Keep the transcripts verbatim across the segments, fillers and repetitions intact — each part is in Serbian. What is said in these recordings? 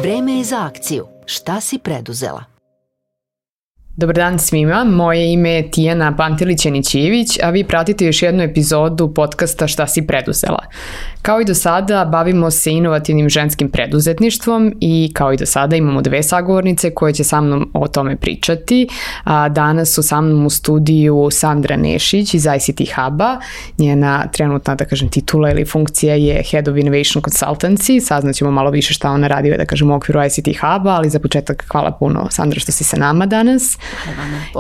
Vreme je za akciju. Šta si preduzela? Dobar dan svima, moje ime je Tijana Pantelić-Janićijević, a vi pratite još jednu epizodu podcasta Šta si preduzela. Kao i do sada, bavimo se inovativnim ženskim preduzetništvom i kao i do sada imamo dve sagovornice koje će sa mnom o tome pričati. A danas su sa mnom u studiju Sandra Nešić iz I C T Hub-a. Njena trenutna, da kažem, titula ili funkcija je Head of Innovation Consultancy. Saznaćemo malo više šta ona radi, da kažem, u okviru I C T Hub-a, ali za početak hvala puno, Sandra, što si sa nama danas.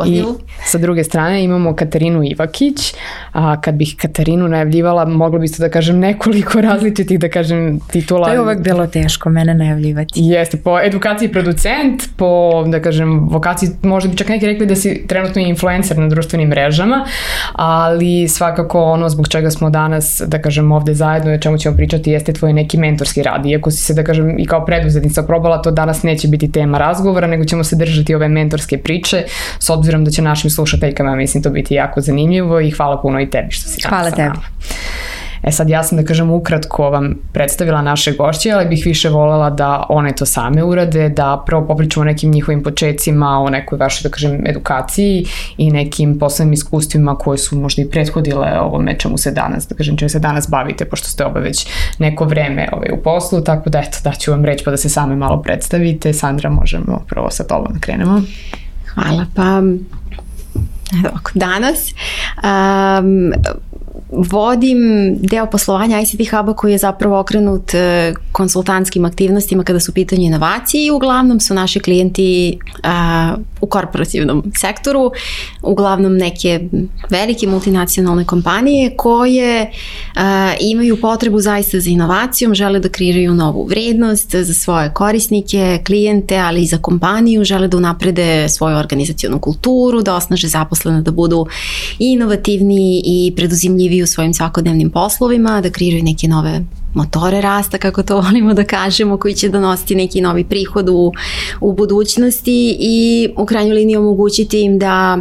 I sa druge strane imamo Katarinu Ivakić. A kad bih Katarinu najavljivala, mogla biste da kažem nekoliko različitih, da kažem, titula. To je uvek bilo teško mene najavljivati. Jeste, po edukaciji producent, po, da kažem, vokaciji, možda bi čak neki rekli da si trenutno influencer na društvenim mrežama, ali svakako ono zbog čega smo danas, da kažem, ovde zajedno, o čemu ćemo pričati, jeste tvoj neki mentorski rad. Iako si se, da kažem, i kao preduzetnica probala, to danas neće biti tema razgovora, nego ćemo se držati ove mentorske priče, s obzirom da će našim slušateljkama, mislim, to biti jako zanimljivo i hvala puno i tebi što si danas hvala sa tebi. nama. E sad, ja sam, da kažem, ukratko vam predstavila naše gošće, ali bih više voljela da one to same urade, da prvo popričamo o nekim njihovim počecima, o nekoj vašoj, da kažem, edukaciji i nekim poslovnim iskustvima koje su možda i prethodile ovome čemu se danas, da kažem, čemu se danas bavite, pošto ste oba već neko vreme ovaj, u poslu, tako da eto, daću vam reč pa da se same malo predstavite. Sandra, možemo prvo sa tobom da krenemo. Hvala, pa danas um, vodim deo poslovanja I C T Hub-a koji je zapravo okrenut konsultantskim aktivnostima kada su u pitanju inovacije i uglavnom su naši klijenti uh, u korporativnom sektoru, uglavnom neke velike multinacionalne kompanije koje uh, imaju potrebu zaista za inovacijom, žele da kreiraju novu vrednost za svoje korisnike, klijente, ali i za kompaniju, žele da unaprede svoju organizacionu kulturu, da osnaže zaposlene da budu inovativni i preduzimljivi u svojim svakodnevnim poslovima, da kreiraju neke nove motore rasta, kako to volimo da kažemo, koji će donositi neki novi prihod u, u budućnosti i u krajnjoj liniji omogućiti im da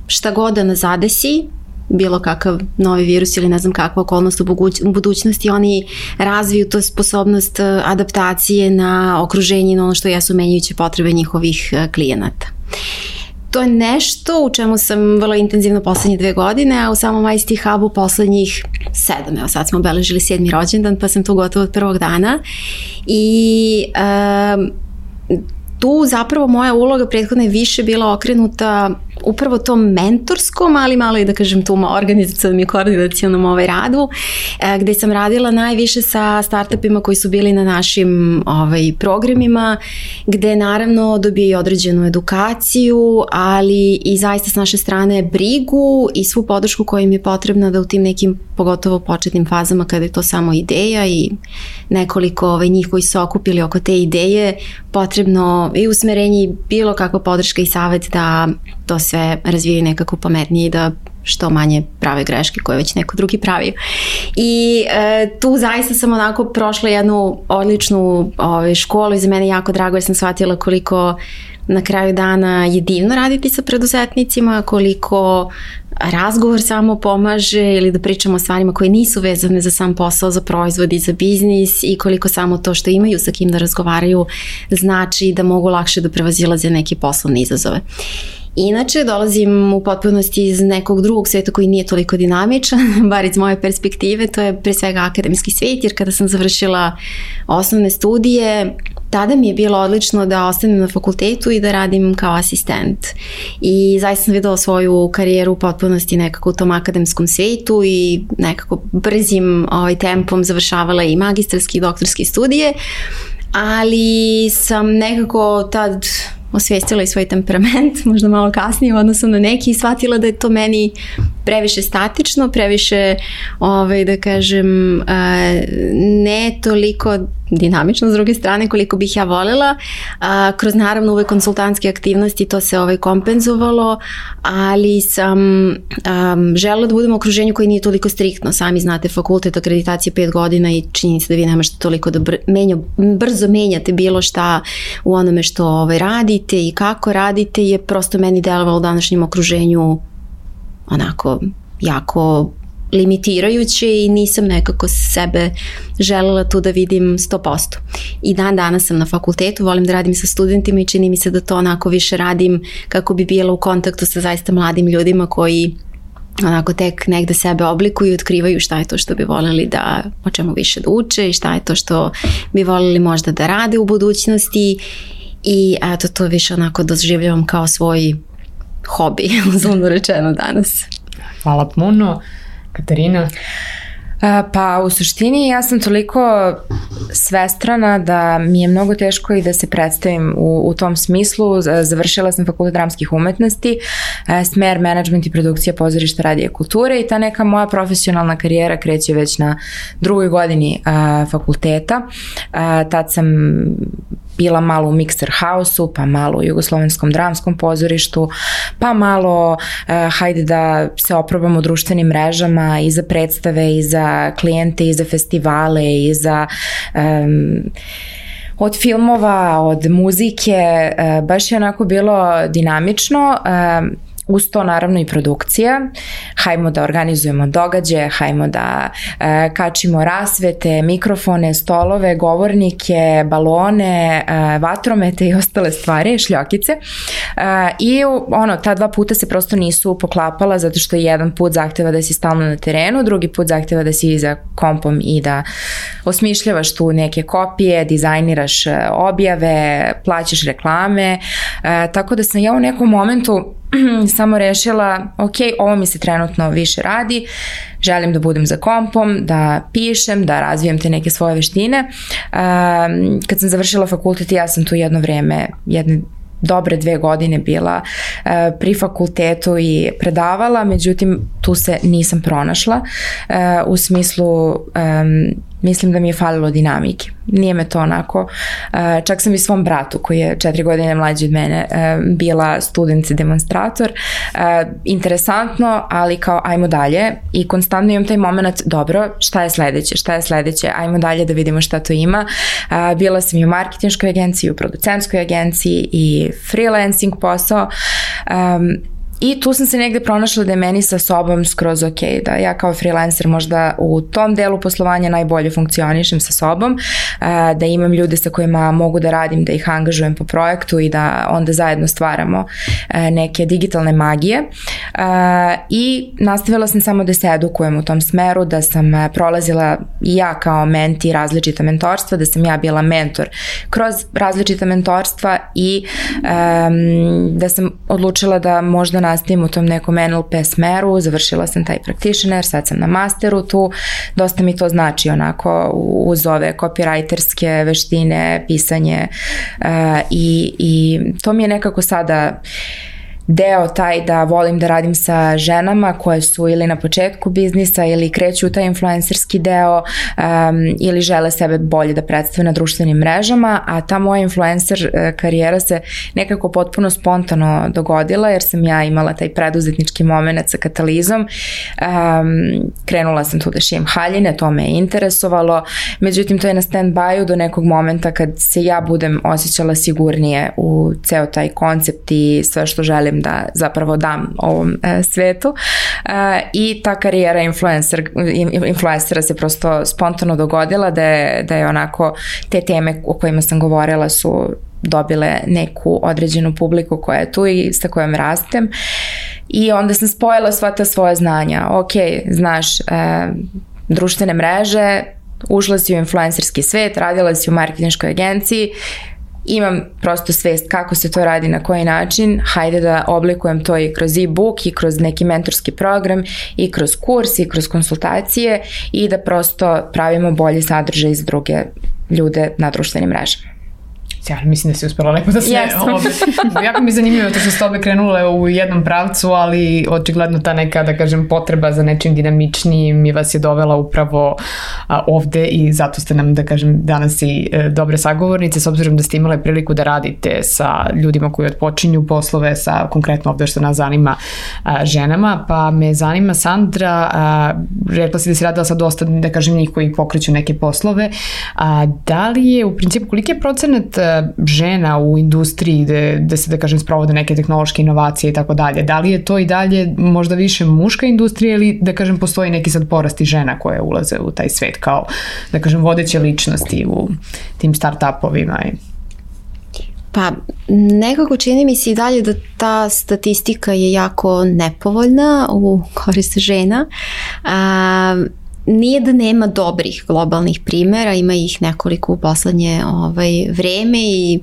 šta god da nas zadesi, bilo kakav novi virus ili ne znam kakva okolnost u budućnosti, oni razviju tu sposobnost adaptacije na okruženje i na ono što jesu menjajuće potrebe njihovih klijenata. To je nešto u čemu sam vrlo intenzivno poslednje dve godine, a u samom I C T Hub-u poslednjih sedam. Evo sad smo obeležili sedmi rođendan, pa sam tu gotovo od prvog dana. I um, tu zapravo moja uloga prethodna je više bila okrenuta upravo tom mentorskom, ali malo i da kažem tu organizacionom i koordinacionom ovaj radu, gde sam radila najviše sa startupima koji su bili na našim ovaj, programima, gde naravno dobiju određenu edukaciju, ali i zaista s naše strane brigu i svu podršku koja im je potrebna da u tim nekim pogotovo početnim fazama kada je to samo ideja i nekoliko ovaj, njih koji su okupili oko te ideje, potrebno i usmerenje i bilo kakva podrška i savjet da to sve razvijaju nekako pametnije i da što manje prave greške koje već neko drugi pravio. I e, tu zaista sam onako prošla jednu odličnu ove, školu i za mene jako drago jer sam shvatila koliko na kraju dana je divno raditi sa preduzetnicima, koliko razgovor samo pomaže ili da pričamo o stvarima koje nisu vezane za sam posao, za proizvod i za biznis i koliko samo to što imaju sa kim da razgovaraju znači da mogu lakše da prevazilaze neke poslovne izazove. Inače, dolazim u potpunosti iz nekog drugog sveta koji nije toliko dinamičan, bar iz moje perspektive, to je pre svega akademski svet, jer kada sam završila osnovne studije, tada mi je bilo odlično da ostanem na fakultetu i da radim kao asistent. I zaista sam videla svoju karijeru u potpunosti nekako u tom akademskom svetu i nekako brzim ovaj, tempom završavala i magistarski i doktorski studije, ali sam nekako tad osvijestila i svoj temperament, možda malo kasnije u odnosu na neki i shvatila da je to meni previše statično, previše, ovaj, da kažem, ne toliko dinamično s druge strane koliko bih ja voljela. Kroz naravno ove konsultantske aktivnosti to se ovaj kompenzovalo, ali sam um, želela da budem u okruženju koji nije toliko striktno. Sami znate, fakultet, akreditacija pet godina i činjenica da vi ne možete toliko da br- menja, brzo menjate bilo šta u onome što ovaj, radite i kako radite je prosto meni delovalo u današnjem okruženju onako jako limitirajuće i nisam nekako sebe želela tu da vidim sto posto. I dan danas sam na fakultetu, volim da radim sa studentima i čini mi se da to onako više radim kako bi bila u kontaktu sa zaista mladim ljudima koji onako tek negde sebe oblikuju i otkrivaju šta je to što bi voljeli da, o čemu više da uče i šta je to što bi voljeli možda da rade u budućnosti i eto to više onako doživljavam kao svoj hobi, uzlovno rečeno danas. Hvala puno. Katarina? Pa u suštini ja sam toliko svestrana da mi je mnogo teško i da se predstavim u, u tom smislu. Završila sam fakultet dramskih umetnosti, smer menadžment i produkcija pozorišta, radija i kulture i ta neka moja profesionalna karijera kreće već na drugoj godini a, fakulteta. A, tad sam bila malo u Mixer House-u, pa malo u Jugoslovenskom dramskom pozorištu, pa malo uh, hajde da se oprobamo u društvenim mrežama i za predstave, i za klijente, i za festivale, i za um, od filmova, od muzike, uh, baš je onako bilo dinamično. Uh, Uz to naravno i produkcija, hajmo da organizujemo događaje, hajmo da e, kačimo rasvete, mikrofone, stolove, govornike, balone, e, vatromete i ostale stvari, šljokice. E, I ono, ta dva puta se prosto nisu poklapala zato što jedan put zahteva da si stalno na terenu, drugi put zahteva da si za kompom i da osmišljavaš tu neke kopije, dizajniraš objave, plaćaš reklame, e, tako da sam ja u nekom momentu samo rešila, ok, ovo mi se trenutno više radi, želim da budem za kompom, da pišem, da razvijem te neke svoje veštine. Um, kad sam završila fakultet, ja sam tu jedno vreme, jedne dobre dve godine bila uh, pri fakultetu i predavala, međutim tu se nisam pronašla uh, u smislu um, mislim da mi je falilo dinamike. Nije me to onako. Uh, čak sam i svom bratu koji je četiri godine mlađi od mene uh, bila student i demonstrator. Uh, interesantno, ali kao ajmo dalje i konstantno imam taj moment, dobro, šta je sledeće, šta je sledeće, ajmo dalje da vidimo šta to ima. Uh, bila sam i u marketinškoj agenciji, u producentskoj agenciji i freelancing posao. Um, I tu sam se negde pronašla da je meni sa sobom skroz ok, da ja kao freelancer možda u tom delu poslovanja najbolje funkcionišem sa sobom, da imam ljude sa kojima mogu da radim, da ih angažujem po projektu i da onda zajedno stvaramo neke digitalne magije. I nastavila sam samo da se edukujem u tom smeru, da sam prolazila i ja kao menti različita mentorstva, da sam ja bila mentor kroz različita mentorstva i um, da sam odlučila da možda nastavim u tom nekom N L P smeru, završila sam taj practitioner, sad sam na masteru tu, dosta mi to znači onako uz ove copywriterske veštine, pisanje uh, i, i to mi je nekako sada deo taj da volim da radim sa ženama koje su ili na početku biznisa ili kreću u taj influencerski deo um, ili žele sebe bolje da predstave na društvenim mrežama, a ta moja influencer karijera se nekako potpuno spontano dogodila jer sam ja imala taj preduzetnički moment sa Katalizom. Um, krenula sam tu da šijem haljine, to me je interesovalo, međutim to je na stand-by-u do nekog momenta kad se ja budem osjećala sigurnije u ceo taj koncept i sve što želim da zapravo dam ovom e, svetu e, i ta karijera influencer, influencera se prosto spontano dogodila da je, da je onako te teme o kojima sam govorila su dobile neku određenu publiku koja je tu i sa kojom rastem i onda sam spojila sva ta svoja znanja. Ok, znaš, e, društvene mreže, ušla si u influencerski svet, radila si u marketinškoj agenciji, imam prosto svest kako se to radi, na koji način, hajde da oblikujem to i kroz e-book i kroz neki mentorski program i kroz kurs i kroz konsultacije i da prosto pravimo bolje sadržaj za druge ljude na društvenim mrežama. Ja mislim da si uspela lepo da se obe. Jako mi je zanimljivo to što ste obe krenule u jednom pravcu, ali očigledno ta neka, da kažem, potreba za nečim dinamičnijim mi vas je dovela upravo a, ovde i zato ste nam, da kažem, danas i e, dobre sagovornice, s obzirom da ste imale priliku da radite sa ljudima koji odpočinju poslove, sa konkretno ovde što nas zanima a, ženama, pa me zanima Sandra, a, rekla si da si radila sa dosta, da kažem, njih koji pokreću neke poslove, a da li je u principu, koliki je procenat žena u industriji gde, gde se, da kažem, sprovode neke tehnološke inovacije i tako dalje. Da li je to i dalje možda više muška industrija ili, da kažem, postoji neki sad porast i žena koje ulaze u taj svet kao, da kažem, vodeće ličnosti u tim start-upovima? Pa nekako čini mi se i dalje da ta statistika je jako nepovoljna u korist žena. A, nije da nema dobrih globalnih primjera, ima ih nekoliko u poslednje ovaj, vreme i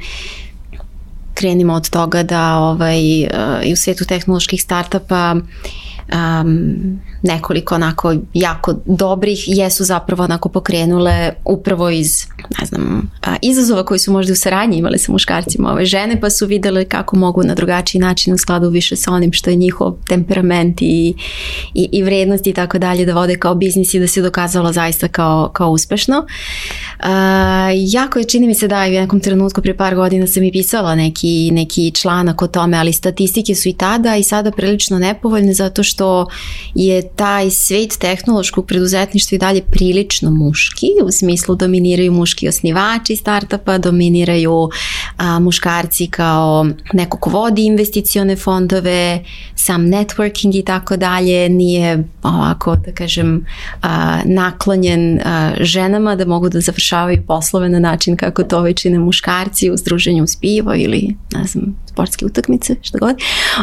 krenimo od toga da ovaj, i u svetu tehnoloških startupa um, nekoliko onako jako dobrih jesu zapravo onako pokrenule upravo iz, ne znam, izazova koji su možda u saradnji imali sa muškarcima ove žene, pa su videle kako mogu na drugačiji način u skladu više sa onim što je njihov temperament i, i, i vrednosti i tako dalje da vode kao biznis i da se dokazalo zaista kao, kao uspešno. Uh, jako je, čini mi se da i u nekom trenutku prije par godina sam i pisala neki, neki članak o tome, ali statistike su i tada i sada prilično nepovoljne zato što je taj svet tehnološkog preduzetništva i dalje prilično muški, u smislu dominiraju muški osnivači startupa, dominiraju a, muškarci kao neko ko vodi investicione fondove, sam networking i tako dalje, nije ovako, da kažem, a, naklonjen a, ženama da mogu da završavaju poslove na način kako to već čine muškarci u združenju uz pivo ili, ne znam, sportske utakmice, što god.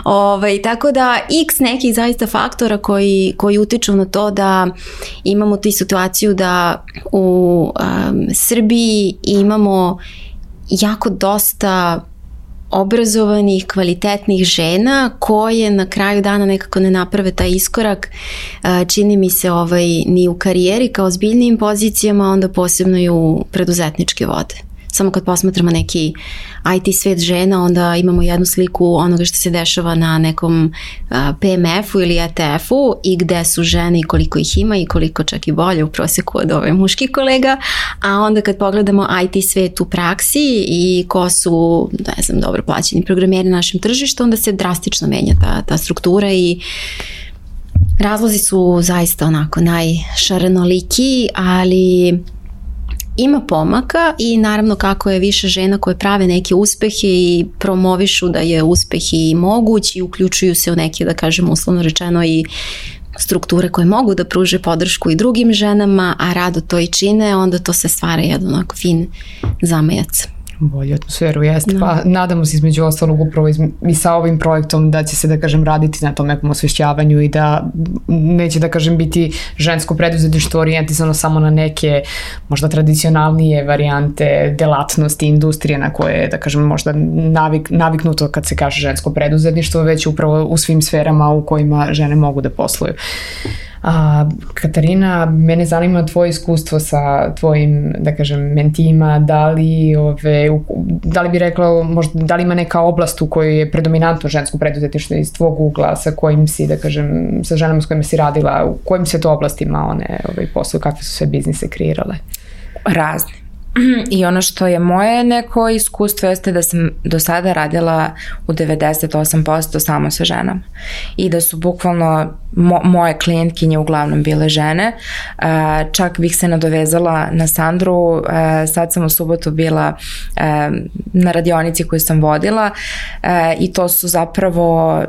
Ovaj, tako da x nekih zaista faktora koji, koji utiču na to da imamo tu situaciju da u um, Srbiji imamo jako dosta obrazovanih, kvalitetnih žena koje na kraju dana nekako ne naprave taj iskorak, čini mi se ovaj, ni u karijeri kao ozbiljnijim pozicijama, onda posebno i u preduzetničke vode. Samo kad posmatramo neki I T svet žena, onda imamo jednu sliku onoga što se dešava na nekom P M F-u ili E T F-u i gde su žene i koliko ih ima i koliko čak i bolje u proseku od ove muških kolega, a onda kad pogledamo I T svet u praksi i ko su, ne znam, dobro plaćeni programeri na našem tržištu, onda se drastično menja ta, ta struktura i razlozi su zaista onako najšarenoliki, ali ima pomaka i naravno kako je više žena koje prave neke uspehe i promovišu da je uspeh i moguć i uključuju se u neke, da kažem uslovno rečeno, i strukture koje mogu da pruže podršku i drugim ženama, a rado to i čine, onda to se stvara jedan onako fin zamajac. Bolju atmosferu, jeste. No. Pa nadamo se između ostalog upravo iz, i sa ovim projektom da će se, da kažem, raditi na tom nekom osvešćavanju i da neće, da kažem, biti žensko preduzetništvo orijentisano samo na neke možda tradicionalnije varijante delatnosti, industrije na koje, da kažem, možda navik, naviknuto kad se kaže žensko preduzetništvo, već upravo u svim sferama u kojima žene mogu da posluju. A, Katarina, mene zanima tvoje iskustvo sa tvojim, da kažem, mentima, da li, ove, da li bi rekla, možda, da li ima neka oblast u kojoj je predominantno žensko preduzetništvo iz tvog ugla, sa kojim si, da kažem, sa ženama s kojima si radila, u kojim se to oblastima one ove, posluju, kakve su sve biznise kreirale? Razne. I ono što je moje neko iskustvo jeste da sam do sada radila u devedeset osam posto samo sa ženama i da su bukvalno mo- moje klijentkinje uglavnom bile žene. Uh, čak bih se nadovezala na Sandru, uh, sad sam u subotu bila uh, na radionici koju sam vodila uh, i to su zapravo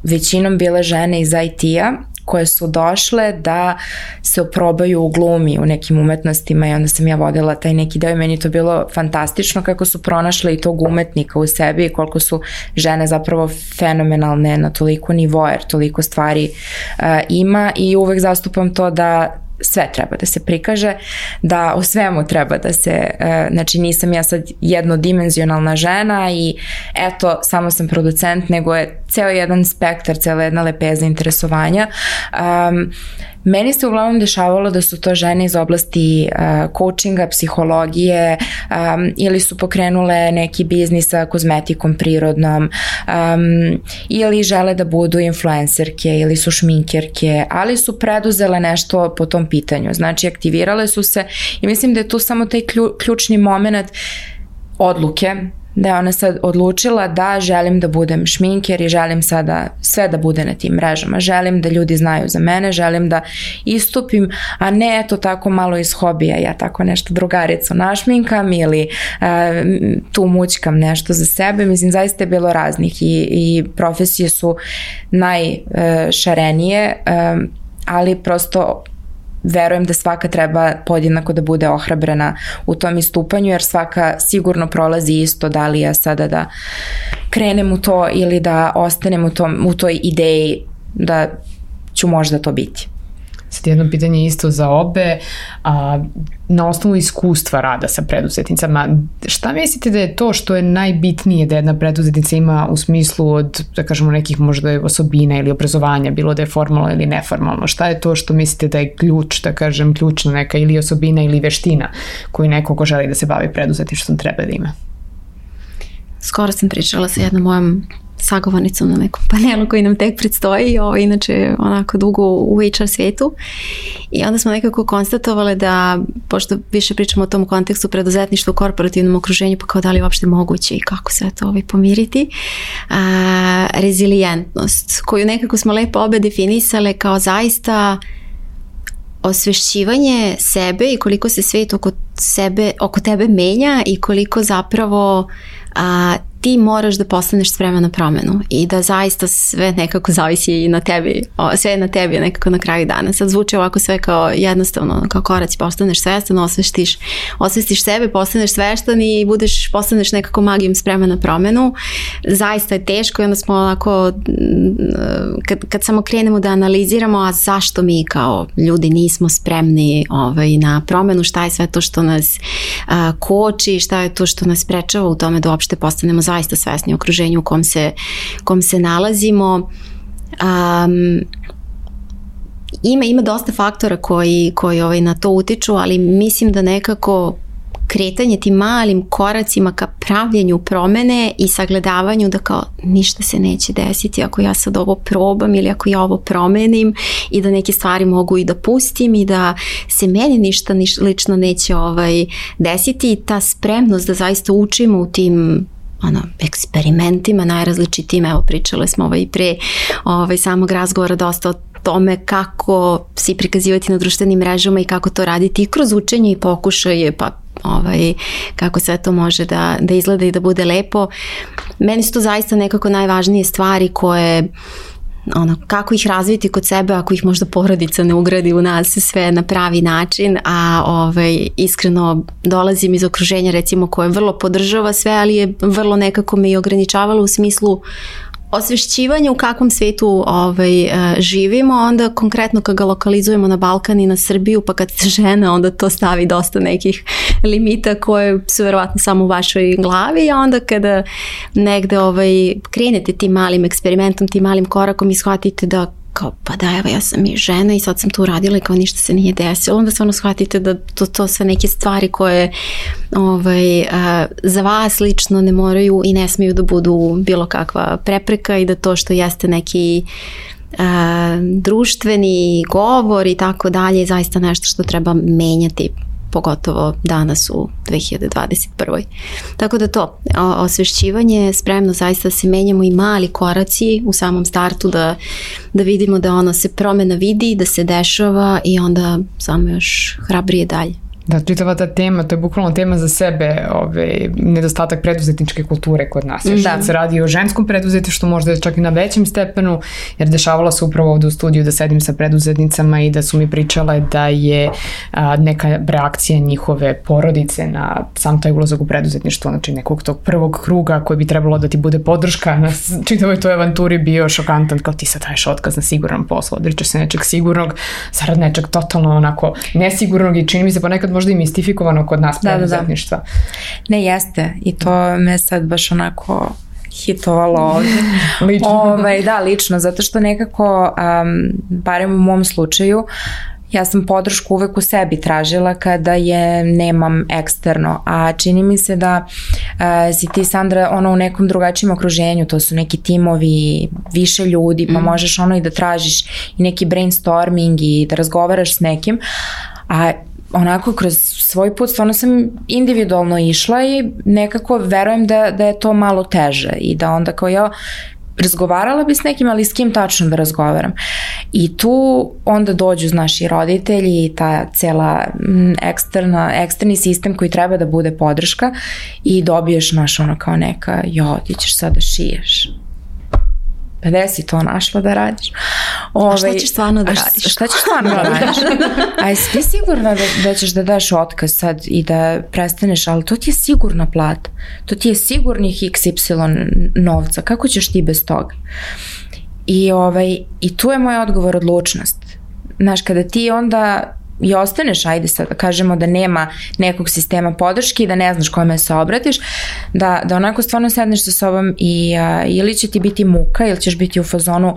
većinom bile žene iz I T-a koje su došle da se oprobaju u glumi, u nekim umetnostima i onda sam ja vodila taj neki deo i meni to bilo fantastično kako su pronašle i tog umetnika u sebi i koliko su žene zapravo fenomenalne na toliko nivoa, jer toliko stvari uh, ima i uvek zastupam to da sve treba da se prikaže, da o svemu treba da se, znači nisam ja sad jednodimenzionalna žena i eto, samo sam producent, nego je ceo jedan spektar, cela jedna lepeza interesovanja. Um, meni se uglavnom dešavalo da su to žene iz oblasti uh, coachinga, psihologije um, ili su pokrenule neki biznis sa kozmetikom prirodnom um, ili žele da budu influencerke ili su šminkerke, ali su preduzele nešto po tom pitanju. Znači, aktivirale su se i mislim da je tu samo taj klju, ključni moment odluke, da je ona sad odlučila da želim da budem šminker i želim sada sve da bude na tim mrežama. Želim da ljudi znaju za mene, želim da istupim, a ne eto tako malo iz hobija, ja tako nešto drugaricu našminkam ili uh, tu mućkam nešto za sebe. Mislim, zaista je bilo raznih i, i profesije su najšarenije, uh, ali prosto verujem da svaka treba podjednako da bude ohrabrena u tom istupanju, jer svaka sigurno prolazi isto, da li ja sada da krenem u to ili da ostanem u, tom, u toj ideji da ću možda to biti. Sad jedno pitanje isto za obe, a, na osnovu iskustva rada sa preduzetnicama, šta mislite da je to što je najbitnije da jedna preduzetnica ima u smislu od, da kažemo, nekih možda osobina ili obrazovanja, bilo da je formalno ili neformalno? Šta je to što mislite da je ključ, da kažem, ključna neka ili osobina ili veština koju neko ko želi da se bavi preduzetništvom treba da ima? Skoro sam pričala sa jednom mojom sagovornicom na nekom panelu koji nam tek predstoji, ovo inače onako dugo u H R svijetu, i onda smo nekako konstatovali da, pošto više pričamo o tom kontekstu preduzetništva u korporativnom okruženju, pa kao da li je uopšte moguće i kako sve to ovaj pomiriti, a, rezilijentnost koju nekako smo lepo obe definisale kao zaista osvešćivanje sebe i koliko se svijet oko sebe, oko tebe menja i koliko zapravo a, ti moraš da postaneš spreman na promenu i da zaista sve nekako zavisi i na tebi, o, sve je na tebi nekako na kraju dana. Sad zvuči ovako sve kao jednostavno, kao koraci, postaneš svestan, osvestiš, osvestiš sebe, postaneš svestan i budeš, postaneš nekako magijom spreman na promenu. Zaista je teško i onda smo onako, kad, kad samo krenemo da analiziramo, a zašto mi kao ljudi nismo spremni ovaj, na promenu, šta je sve to što nas a, koči, šta je to što nas sprečava u tome da uopšte postanemo zaista svesni u okruženju u kom se, kom se nalazimo. Um, ima, ima dosta faktora koji, koji ovaj, na to utiču, ali mislim da nekako kretanje tim malim koracima ka pravljenju promene i sagledavanju da kao ništa se neće desiti ako ja sad ovo probam ili ako ja ovo promenim i da neke stvari mogu i da pustim i da se meni ništa niš, lično neće ovaj, desiti, i ta spremnost da zaista učimo u tim ono, eksperimentima najrazličitijim. Evo, pričale smo ovaj pre ovaj, samog razgovora dosta o tome kako se prikazivati na društvenim mrežama i kako to raditi i kroz učenje i pokušaje, pa ovaj, kako sve to može da, da izgleda i da bude lepo. Meni su to zaista nekako najvažnije stvari koje, ono, kako ih razviti kod sebe ako ih možda porodica ne ugradi u nas sve na pravi način, a ovaj, iskreno dolazim iz okruženja recimo koje vrlo podržava sve, ali je vrlo nekako me i ograničavalo u smislu osvešćivanja u kakvom svijetu ovaj, živimo, onda konkretno kad ga lokalizujemo na Balkan i na Srbiju, pa kad se žena, onda to stavi dosta nekih limita koje su verovatno samo u vašoj glavi, a onda kada negde ovaj, krenete tim malim eksperimentom, tim malim korakom i shvatite da kao, pa da, evo, ja sam i žena i sad sam to uradila i kao ništa se nije desilo, onda stvarno shvatite da to, to sve neke stvari koje ovaj, a, za vas lično ne moraju i ne smiju da budu bilo kakva prepreka i da to što jeste neki a, društveni govor i tako dalje je zaista nešto što treba menjati, pogotovo danas u dve hiljade dvadeset prve. Tako da to, osvešćivanje, spremno zaista da se menjamo i mali koraci u samom startu, da, da vidimo da ono se promena vidi, da se dešava i onda samo još hrabrije dalje. Da, čitava ta tema, to je bukvalno tema za sebe, ovaj, nedostatak preduzetničke kulture kod nas. Još da se radi o ženskom preduzetništvu, možda čak i na većem stepenu, jer dešavalo se upravo ovdje u studiju da sedim sa preduzetnicama i da su mi pričale da je a, neka reakcija njihove porodice na sam taj ulazak u preduzetništvo, znači nekog tog prvog kruga koji bi trebalo da ti bude podrška na čitavoj toj avanturi bio šokantan, kao ti sad daješ otkaz na siguran posao, odričeš se nečeg sigurnog, zarad nečeg totalno onako nesigurnog i čini mi se ponekad možda i mistifikovano kod nas preduzetništva. Da, da, da. Ne, jeste. I to me sad baš onako hitovalo ovdje. Lično. Ovaj, da, lično, zato što nekako, um, barem u mom slučaju, ja sam podršku uvek u sebi tražila kada je nemam eksterno, a čini mi se da uh, si ti, Sandra, ono u nekom drugačijem okruženju, to su neki timovi, više ljudi, pa mm. možeš ono i da tražiš i neki brainstorming i da razgovaraš s nekim, a onako kroz svoj put stvarno sam individualno išla i nekako verujem da, da je to malo teže i da onda kao ja razgovarala bi s nekim, ali s kim tačno da razgovaram. I tu onda dođu, znaš, i roditelji i ta cela eksterna, eksterni sistem koji treba da bude podrška i dobiješ, znaš, ono kao neka, jo, ti ćeš sad da šiješ. Pa gde si to našla da radiš? Ove, a šta ćeš stvarno da radiš? Šta ćeš stvarno da radiš? A jesi ti sigurna da, da ćeš da daš otkaz sad i da prestaneš, ali to ti je sigurna plata. To ti je sigurnih iks ipsilon novca. Kako ćeš ti bez toga? I, ovaj, i tu je moj odgovor odlučnost. Znaš, kada ti onda i ostaneš, ajde sad da kažemo da nema nekog sistema podrške i da ne znaš kome se obratiš, da, da onako stvarno sedneš sa sobom i a, ili će ti biti muka ili ćeš biti u fazonu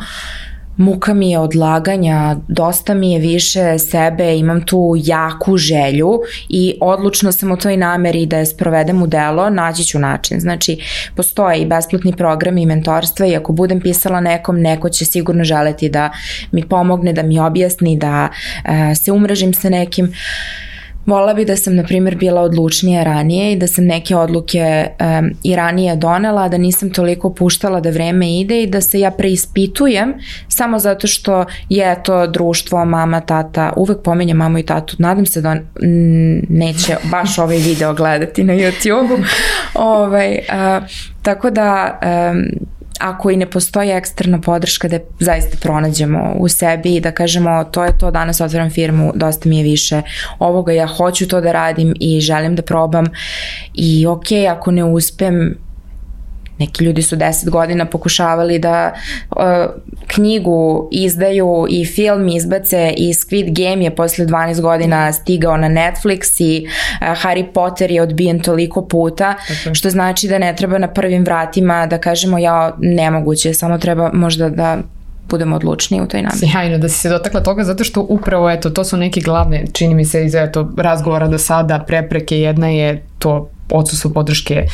muka mi je odlaganja, dosta mi je više sebe, imam tu jaku želju i odlučno sam u toj nameri da je sprovedem u delo, naći ću način. Znači, postoje i besplatni programi i mentorstva i ako budem pisala nekom, neko će sigurno želeti da mi pomogne, da mi objasni, da uh, se umrežim sa nekim. Volila bi da sam, na primjer, bila odlučnija ranije i da sam neke odluke um, i ranije donela, da nisam toliko puštala da vreme ide i da se ja preispitujem samo zato što je to društvo, mama, tata, uvek pominjem mamu i tatu, nadam se da on m, neće baš ovaj video gledati na YouTube-u. ovaj, uh, tako da... Um, ako i ne postoji eksterna podrška da zaista pronađemo u sebi i da kažemo to je to, danas otvaram firmu, dosta mi je više ovoga, ja hoću to da radim i želim da probam i ok, ako ne uspem, neki ljudi su deset godina pokušavali da uh, knjigu izdaju i film izbace i Squid Game je posle dvanaest godina stigao na Netflix i uh, Harry Potter je odbijen toliko puta, okay. Što znači da ne treba na prvim vratima da kažemo ja nemoguće, samo treba možda da budemo odlučniji u toj nameri. Sjajno da si se dotakla toga zato što upravo eto, to su neke glavne, čini mi se iz eto, razgovora do sada, prepreke. Jedna je to odsustvo podrške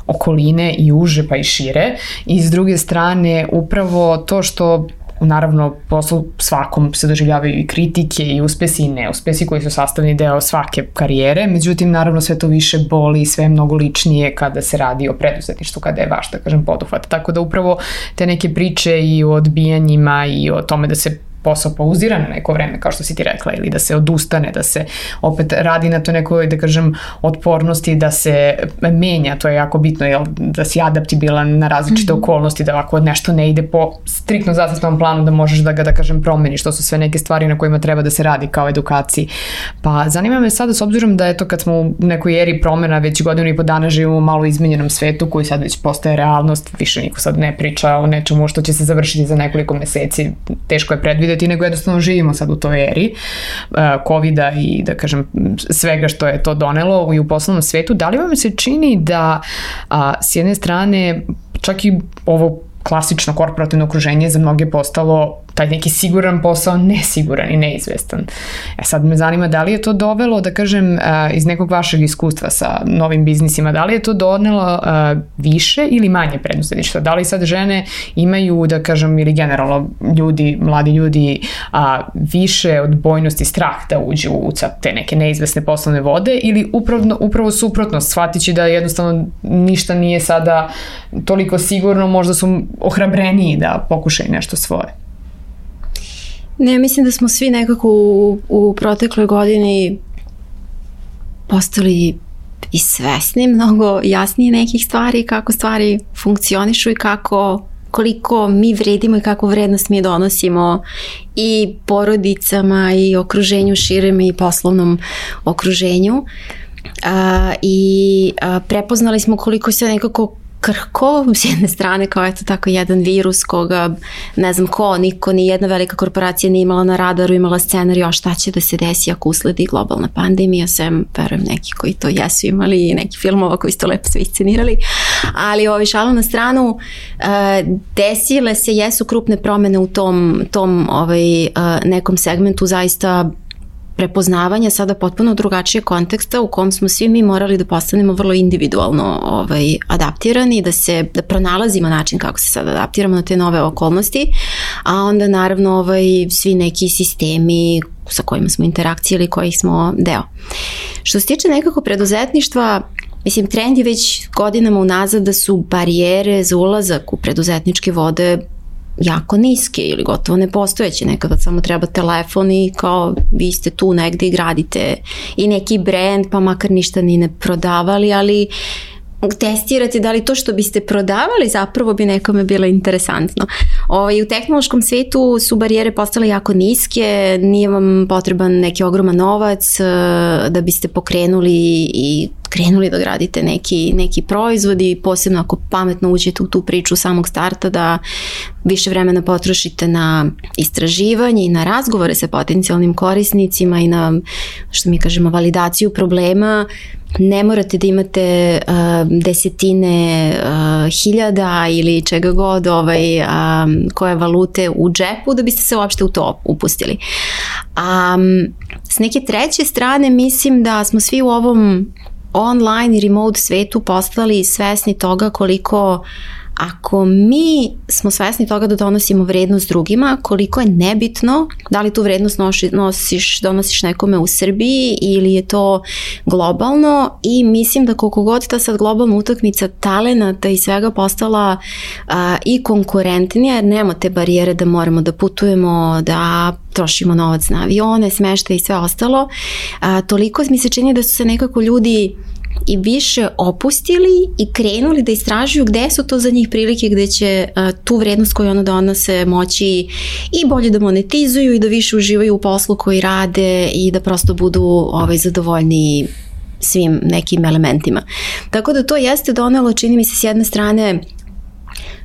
okoline i uže pa i šire i s druge strane upravo to što naravno poslu svakom se doživljavaju i kritike i uspesi i neuspesi koji su sastavni deo svake karijere, međutim naravno sve to više boli i sve je mnogo ličnije kada se radi o preduzetništvu, kada je vaš, da kažem, poduhvat. Tako da upravo te neke priče i o odbijanjima i o tome da se posao pauzira na neko vreme, kao što si ti rekla, ili da se odustane, da se opet radi na to nekoj, da kažem, otpornosti, da se menja, to je jako bitno, jel, da si adaptibilan na različite mm-hmm. okolnosti, da ako nešto ne ide po striktno zacrtanom planu, da možeš da ga, da kažem, promeniš. To su sve neke stvari na kojima treba da se radi kao edukaciji. Pa zanima me sada, s obzirom da eto kad smo u nekoj eri promena, već godinu i po dana živimo u malo izmenjenom svetu koji sad već postaje realnost, više niko sad ne priča o nečemu što će se završiti za nekoliko meseci, teško je predvideti, nego jednostavno živimo sad u toj eri uh, covida i da kažem svega što je to donelo i u poslovnom svetu. Da li vam se čini da a, s jedne strane čak i ovo klasično korporativno okruženje za mnoge postalo taj neki siguran posao nesiguran i neizvestan. E sad me zanima da li je to dovelo, da kažem, iz nekog vašeg iskustva sa novim biznisima, da li je to donelo više ili manje preduzetništva? Da li sad žene imaju, da kažem, ili generalno ljudi, mladi ljudi, više odbojnosti, strah da uđu u te neke neizvesne poslovne vode ili upravo, upravo suprotno, shvatići da jednostavno ništa nije sada toliko sigurno, možda su ohrabreniji da pokušaju nešto svoje? Ne, mislim da smo svi nekako u, u protekloj godini postali i svesni, mnogo jasnije nekih stvari, kako stvari funkcionišu i kako, koliko mi vredimo i kakvu vrednost mi donosimo i porodicama i okruženju širem i poslovnom okruženju. A, i a, prepoznali smo koliko se nekako krhko, s jedne strane kao eto tako jedan virus koga ne znam ko, niko, ni jedna velika korporacija nije imala na radaru, imala scenarij šta će da se desi ako usledi globalna pandemija, sem verujem neki koji to jesu imali i neki filmova koji su to lepo sve iscenirali, ali ovi šalu na stranu, uh, desile se, jesu krupne promene u tom, tom ovaj, uh, nekom segmentu, zaista prepoznavanja sada potpuno drugačije konteksta u kom smo svi mi morali da postanemo vrlo individualno ovaj, adaptirani, da se da pronalazimo način kako se sad adaptiramo na te nove okolnosti, a onda naravno ovaj, svi neki sistemi sa kojima smo interakcije ili kojih smo deo. Što se tiče nekako preduzetništva, mislim, trend je već godinama unazad da su barijere za ulazak u preduzetničke vode jako niske ili gotovo nepostojeće. Nekada samo treba telefon i kao vi ste tu negde i gradite i neki brand, pa makar ništa ni ne prodavali, ali testirate da li to što biste prodavali zapravo bi nekome bilo interesantno. Ovaj, u tehnološkom svetu su barijere postale jako niske, nije vam potreban neki ogroman novac da biste pokrenuli i krenuli da gradite neki, neki proizvod i posebno ako pametno uđete u tu priču samog starta da više vremena potrošite na istraživanje i na razgovore sa potencijalnim korisnicima i na, što mi kažemo, validaciju problema. Ne morate da imate uh, desetine uh, hiljada ili čega god ovaj, um, koje valute u džepu da biste se uopšte u to upustili. Um, s neke treće strane mislim da smo svi u ovom online i remote svetu postali svesni toga koliko ako mi smo svesni toga da donosimo vrednost drugima, koliko je nebitno da li tu vrednost nosiš, donosiš nekome u Srbiji ili je to globalno, i mislim da koliko god ta sad globalna utakmica talenata i svega postala a, i konkurentnija, jer nema te barijere da moramo da putujemo, da trošimo novac na avione, smeštaj i sve ostalo, a, toliko mi se čini da su se nekako ljudi i više opustili i krenuli da istražuju gde su to za njih prilike gde će uh, tu vrednost koju ono donose moći i bolje da monetizuju i da više uživaju u poslu koji rade i da prosto budu ovaj, zadovoljni svim nekim elementima. Tako da to jeste donelo, čini mi se, s jedne strane,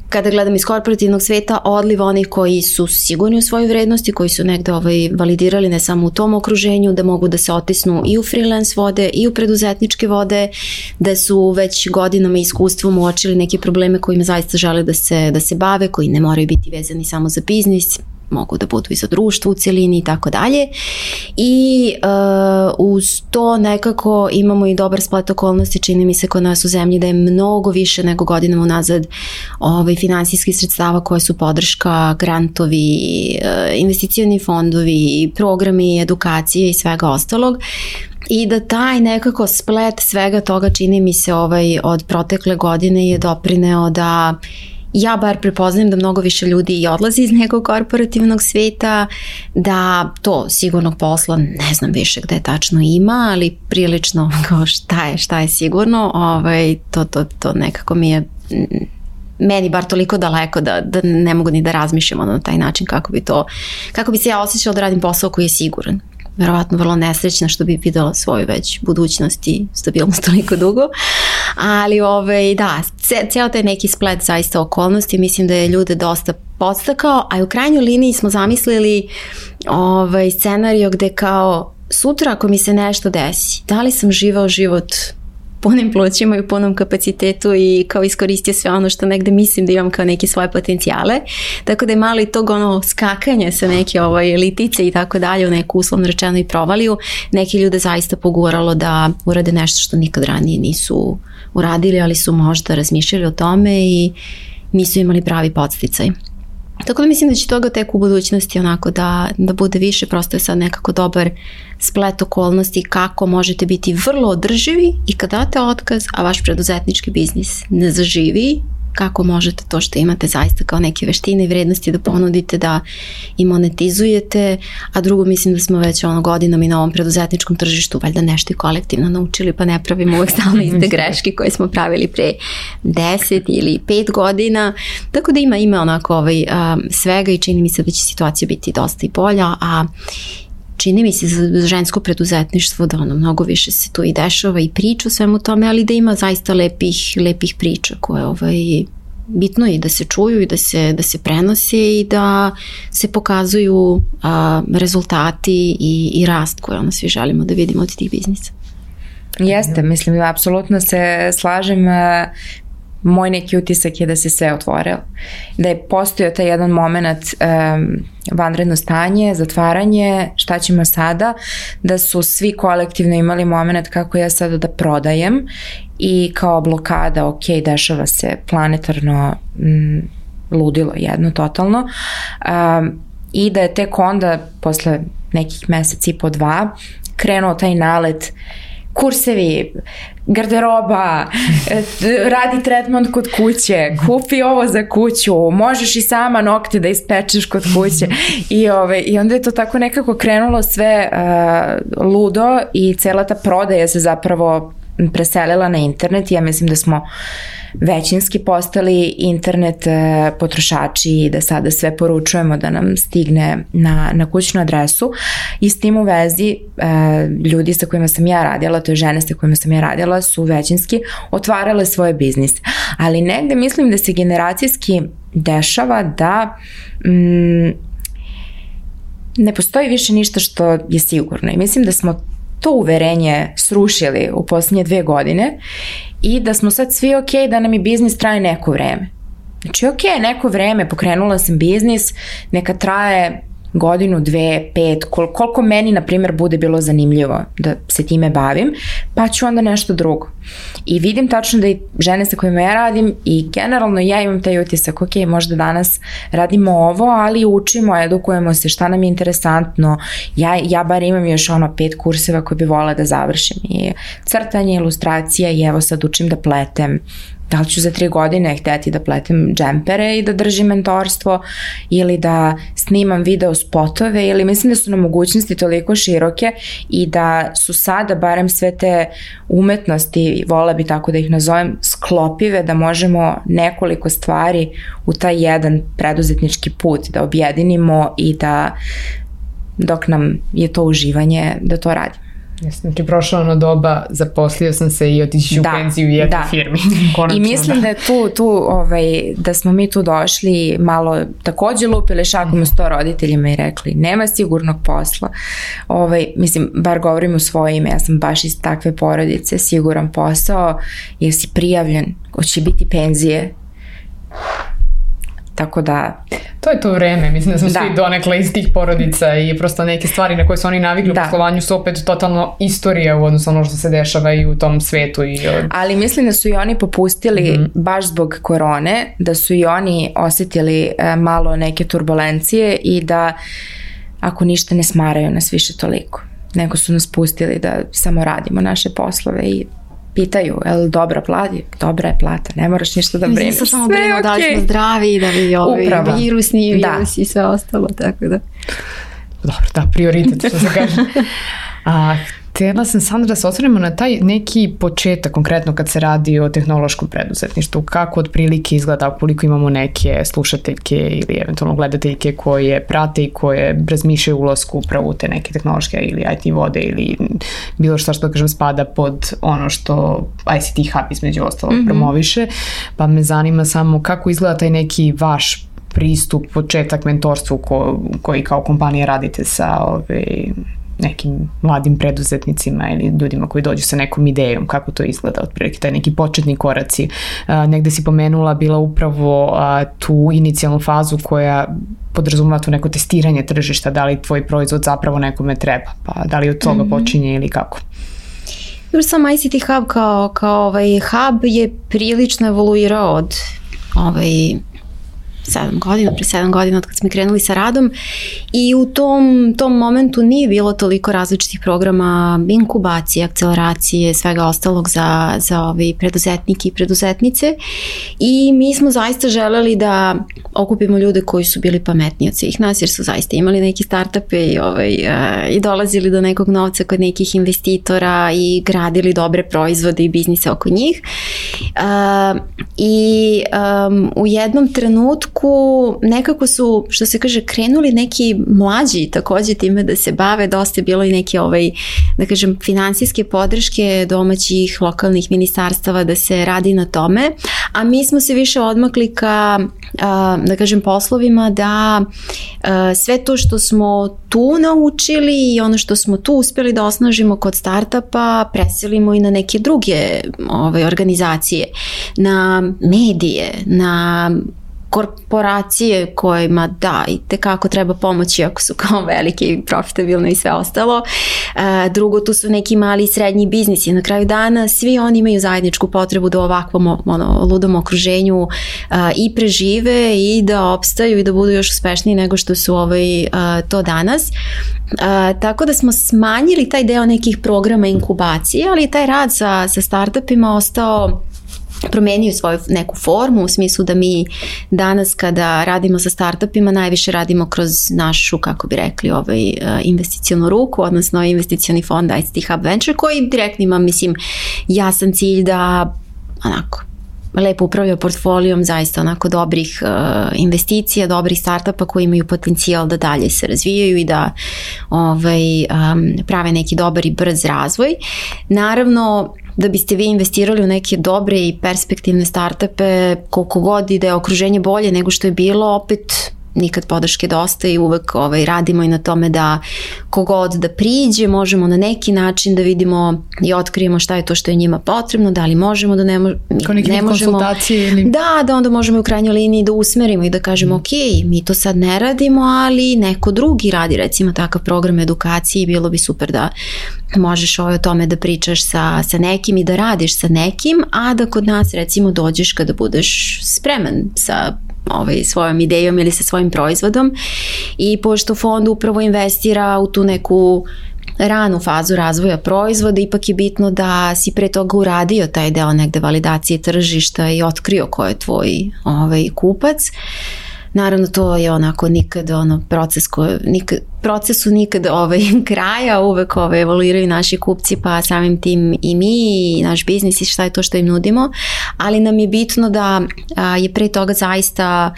kada gledam iz korporativnog sveta, odliv onih koji su sigurni u svojoj vrednosti, koji su negde ovaj, validirali ne samo u tom okruženju, da mogu da se otisnu i u freelance vode i u preduzetničke vode, da su već godinama iskustvom uočili neke probleme kojima zaista žele da se, da se bave, koji ne moraju biti vezani samo za biznis, mogu da budu i za društvo u celini i tako dalje. I uh, uz to nekako imamo i dobar splet okolnosti, čini mi se kod nas u zemlji da je mnogo više nego godinama unazad ovaj, finansijskih sredstava koje su podrška, grantovi, uh, investicioni fondovi, programi, edukacije i svega ostalog. I da taj nekako splet svega toga, čini mi se, ovaj, od protekle godine je doprineo da ja bar prepoznajem da mnogo više ljudi i odlazi iz nekog korporativnog sveta, da to sigurnog posla ne znam više gde tačno ima, ali prilično kao šta je, šta je sigurno, ovaj, to, to, to nekako mi je meni bar toliko daleko da, da ne mogu ni da razmišljam na taj način kako bi to, kako bi se ja osjećala da radim posao koji je siguran. Verovatno vrlo nesrećna što bi videla svoju već budućnost i stabilnost toliko dugo, ali ovaj, da, cijel taj neki splet zaista okolnosti, mislim da je ljude dosta podstakao, a u krajnjoj liniji smo zamislili ovaj, scenario gde kao sutra ako mi se nešto desi, da li sam živao život punim plućima i u punom kapacitetu i kao iskoristio sve ono što negde mislim da imam kao neke svoje potencijale, tako da je malo i tog ono skakanje sa neke ovaj, litice i tako dalje u neku uslovno rečeno i provaliju, neki ljude zaista poguralo da urade nešto što nikad ranije nisu uradili, ali su možda razmišljali o tome i nisu imali pravi podsticaj. Tako da mislim da će toga tek u budućnosti onako da, da bude više, prosto je sad nekako dobar splet okolnosti kako možete biti vrlo održivi i kad date otkaz, a vaš preduzetnički biznis ne zaživi, kako možete to što imate zaista kao neke veštine i vrednosti da ponudite, da i monetizujete, a drugo mislim da smo već ono godinama i na ovom preduzetničkom tržištu valjda nešto i kolektivno naučili, pa ne pravimo uvek stalno iste greške koje smo pravili pre deset ili pet godina, tako da ima ima onako ovaj, um, svega i čini mi se da će situacija biti dosta i bolja, a čini mi se za žensko preduzetništvo da ono mnogo više se tu i dešava i priča o svemu tome, ali da ima zaista lepih, lepih priča koje ovaj, bitno je da se čuju i da se, da se prenose i da se pokazuju a, rezultati i, i rast koje ono svi želimo da vidimo od tih biznisa. Jeste, mislim da apsolutno se slažem. moj neki utisak je da se sve otvorilo. Da je postojao taj jedan moment um, vanredno stanje, zatvaranje, šta ćemo sada, da su svi kolektivno imali moment kako ja sada da prodajem i kao blokada, ok, dešava se planetarno mm, ludilo jedno, totalno. Um, I da je tek onda, posle nekih meseci i po dva, krenuo taj nalet kursevi, garderoba, radi tretman kod kuće, kupi ovo za kuću, možeš i sama nokte da ispečeš kod kuće. I, ove, i onda je to tako nekako krenulo sve uh, ludo i cela ta prodaja se zapravo preselila na internet. Ja mislim da smo većinski postali internet potrošači i da sada sve poručujemo da nam stigne na, na kućnu adresu. I s tim u vezi ljudi sa kojima sam ja radila, to je žene sa kojima sam ja radila, su većinski otvarale svoje biznise. Ali negde mislim da se generacijski dešava da mm, ne postoji više ništa što je sigurno. I mislim da smo to uverenje srušili u posljednje dve godine i da smo sad svi ok da nam i biznis traje neko vreme. Znači ok, neko vreme, pokrenula sam biznis, neka traje godinu, dve, pet, kol- koliko meni, na primjer, bude bilo zanimljivo da se time bavim, pa ću onda nešto drugo. I vidim tačno da i žene sa kojima ja radim i generalno ja imam taj utisak, ok, možda danas radimo ovo, ali učimo, edukujemo se, šta nam je interesantno. Ja, ja bar imam još ono pet kurseva koje bi volila da završim. I crtanje, ilustracija i evo sad učim da pletem. Da li ću za tri godine hteti da pletem džempere i da držim mentorstvo ili da snimam video spotove, ili mislim da su nam mogućnosti toliko široke i da su sada barem sve te umetnosti, vola bi tako da ih nazovem, sklopive, da možemo nekoliko stvari u taj jedan preduzetnički put da objedinimo i da dok nam je to uživanje da to radimo. Znači, prošlo ono doba, zaposlio sam se i otići u penziju u jednoj da. firmi. Konačno, I mislim da, da je tu, tu ovaj, da smo mi tu došli malo takođe lupili šakom u sto roditeljima i rekli nema sigurnog posla. Ovaj, mislim, bar govorim u svoje ime, ja sam baš iz takve porodice, siguran posao, jer si prijavljen, hoće biti penzije. Tako da... To je to vreme, mislim da smo da. svi donekle iz tih porodica i prosto neke stvari na koje su oni navikli u poslovanju su opet totalno istorija u odnosu ono što se dešava i u tom svetu. I... Ali mislim da su i oni popustili mm-hmm. baš zbog korone, da su i oni osetili e, malo neke turbulencije i da ako ništa ne smaraju nas više toliko, nego su nas pustili da samo radimo naše poslove i pitaju, je li dobra plata? Dobra je plata, ne moraš ništa da brineš. Mislim, samo brinemo okay. da li smo zdravi, da bi ovi Upravo. virusni virus i sve ostalo, tako da. Dobro, da, prioritet, što se kaže. A, htjela sam, Sandra, da se osvrnemo na taj neki početak, konkretno kad se radi o tehnološkom preduzetništvu. Kako otprilike izgleda, koliko imamo neke slušateljke ili eventualno gledateljke koje prate i koje razmišljaju ulasku upravo u te neke tehnološke ili I T vode ili bilo što što, kažem, spada pod ono što I C T Hub između ostalog mm-hmm. promoviše. Pa me zanima samo kako izgleda taj neki vaš pristup, početak mentorstvu ko, koji kao kompanija radite sa ove, nekim mladim preduzetnicima ili ljudima koji dođu sa nekom idejom, kako to izgleda otprilike, taj neki početni koraci. A, negde si pomenula bila upravo a, tu inicijalnu fazu koja podrazumeva to neko testiranje tržišta, da li tvoj proizvod zapravo nekome treba, pa da li od toga mm-hmm. počinje ili kako? Dobro, sam I C T Hub kao, kao ovaj hub je prilično evoluirao od ovaj sedam godina, pre sedam godina od kad smo krenuli sa radom i u tom, tom momentu nije bilo toliko različitih programa inkubacije, akceleracije, svega ostalog za, za ove preduzetnike i preduzetnice i mi smo zaista želeli da okupimo ljude koji su bili pametniji od svih nas jer su zaista imali neki startupe i, ovaj, i dolazili do nekog novca kod nekih investitora i gradili dobre proizvode i biznise oko njih. Uh, I um, u jednom trenutku nekako su, što se kaže, krenuli neki mlađi takođe time da se bave, dosta je bilo i neke ovaj, da kažem, finansijske podrške domaćih lokalnih ministarstava da se radi na tome, a mi smo se više odmakli ka, da kažem, poslovima da sve to što smo tu naučili i ono što smo tu uspjeli da osnažimo kod startupa preselimo i na neke druge ove, organizacije. na medije, na korporacije kojima da, i tekako treba pomoći ako su kao velike i profitabilne i sve ostalo. E, drugo, tu su neki mali i srednji biznisi. Na kraju dana svi oni imaju zajedničku potrebu da u ovakvom ono, ludom okruženju a, i prežive i da opstaju i da budu još uspešniji nego što su ovaj, a, to danas. A, tako da smo smanjili taj deo nekih programa inkubacije, ali taj rad sa, sa startupima ostao promenio svoju neku formu u smislu da mi danas kada radimo sa startupima najviše radimo kroz našu, kako bi rekli, ovaj, investicionu ruku, odnosno investicioni fond I C T Hub Venture koji direktno ima, mislim, jasan cilj da onako lepo upravlja portfolijom zaista onako dobrih uh, investicija, dobrih startupa koji imaju potencijal da dalje se razvijaju i da ovaj, um, prave neki dobar i brz razvoj. Naravno, da biste vi investirali u neke dobre i perspektivne startupe, koliko god i da je okruženje bolje nego što je bilo, opet nikad podrške dosta i uvek ovaj, radimo i na tome da kogod da priđe, možemo na neki način da vidimo i otkrijemo šta je to što je njima potrebno, da li možemo da ne, mo- ne možemo. Konsultacije ili... Da, da onda možemo u krajnjoj liniji da usmerimo i da kažemo mm. ok, mi to sad ne radimo, ali neko drugi radi recimo takav program edukacije i bilo bi super da možeš ovaj o tome da pričaš sa, sa nekim i da radiš sa nekim, a da kod nas recimo dođeš kada budeš spreman sa ovaj, svojom idejom ili sa svojim proizvodom i pošto fond upravo investira u tu neku ranu fazu razvoja proizvoda, ipak je bitno da si pre toga uradio taj deo negde validacije tržišta i otkrio ko je tvoj ovaj, kupac. Naravno to je onako nikad ono proces koji nikad, procesu nikad ovaj, kraja, uvek ovaj, evoluiraju naši kupci pa samim tim i mi i naš biznis i šta je to što im nudimo, ali nam je bitno da a, je pre toga zaista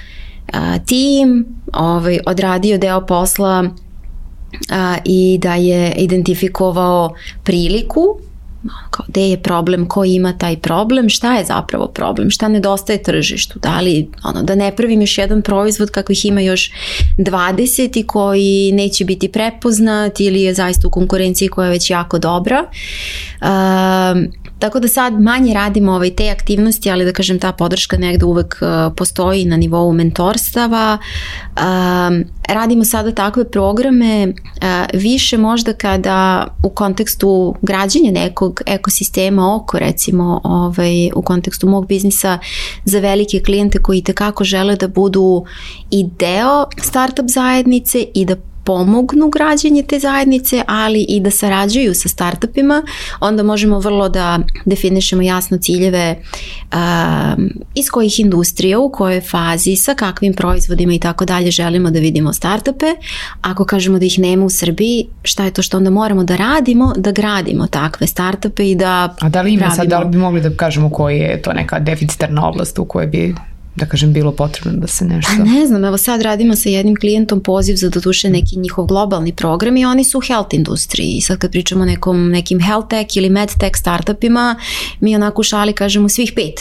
a, tim ovaj, odradio deo posla a, i da je identifikovao priliku kao gde je problem, ko ima taj problem, šta je zapravo problem, šta nedostaje tržištu, da li ono, da ne pravim još jedan proizvod kakvih ima još dvadeset i koji neće biti prepoznat ili je zaista u konkurenciji koja je već jako dobra. Um, tako da sad manje radimo ovaj, te aktivnosti, ali da kažem ta podrška negde uvek uh, postoji na nivou mentorstava. Um, radimo sada takve programe uh, više možda kada u kontekstu građenja nekog ekosistema oko recimo ovaj, u kontekstu mog biznisa za velike klijente koji tekako žele da budu i deo startup zajednice i da pomognu građenje te zajednice, ali i da sarađuju sa startupima, onda možemo vrlo da definišemo jasno ciljeve um, iz kojih industrija, u kojoj fazi, sa kakvim proizvodima i tako dalje želimo da vidimo startupe. Ako kažemo da ih nema u Srbiji, šta je to što onda moramo da radimo, da gradimo takve startupe i da A da li ima pravimo... sad, da li bi mogli da kažemo koji je to neka deficitarna oblast u kojoj bi da kažem bilo potrebno da se nešto... A ne znam, evo sad radimo sa jednim klijentom poziv za doduše neki njihov globalni program i oni su u health industriji i sad kad pričamo o nekom, nekim health tech ili med tech startupima, mi onako u šali kažemo svih pet.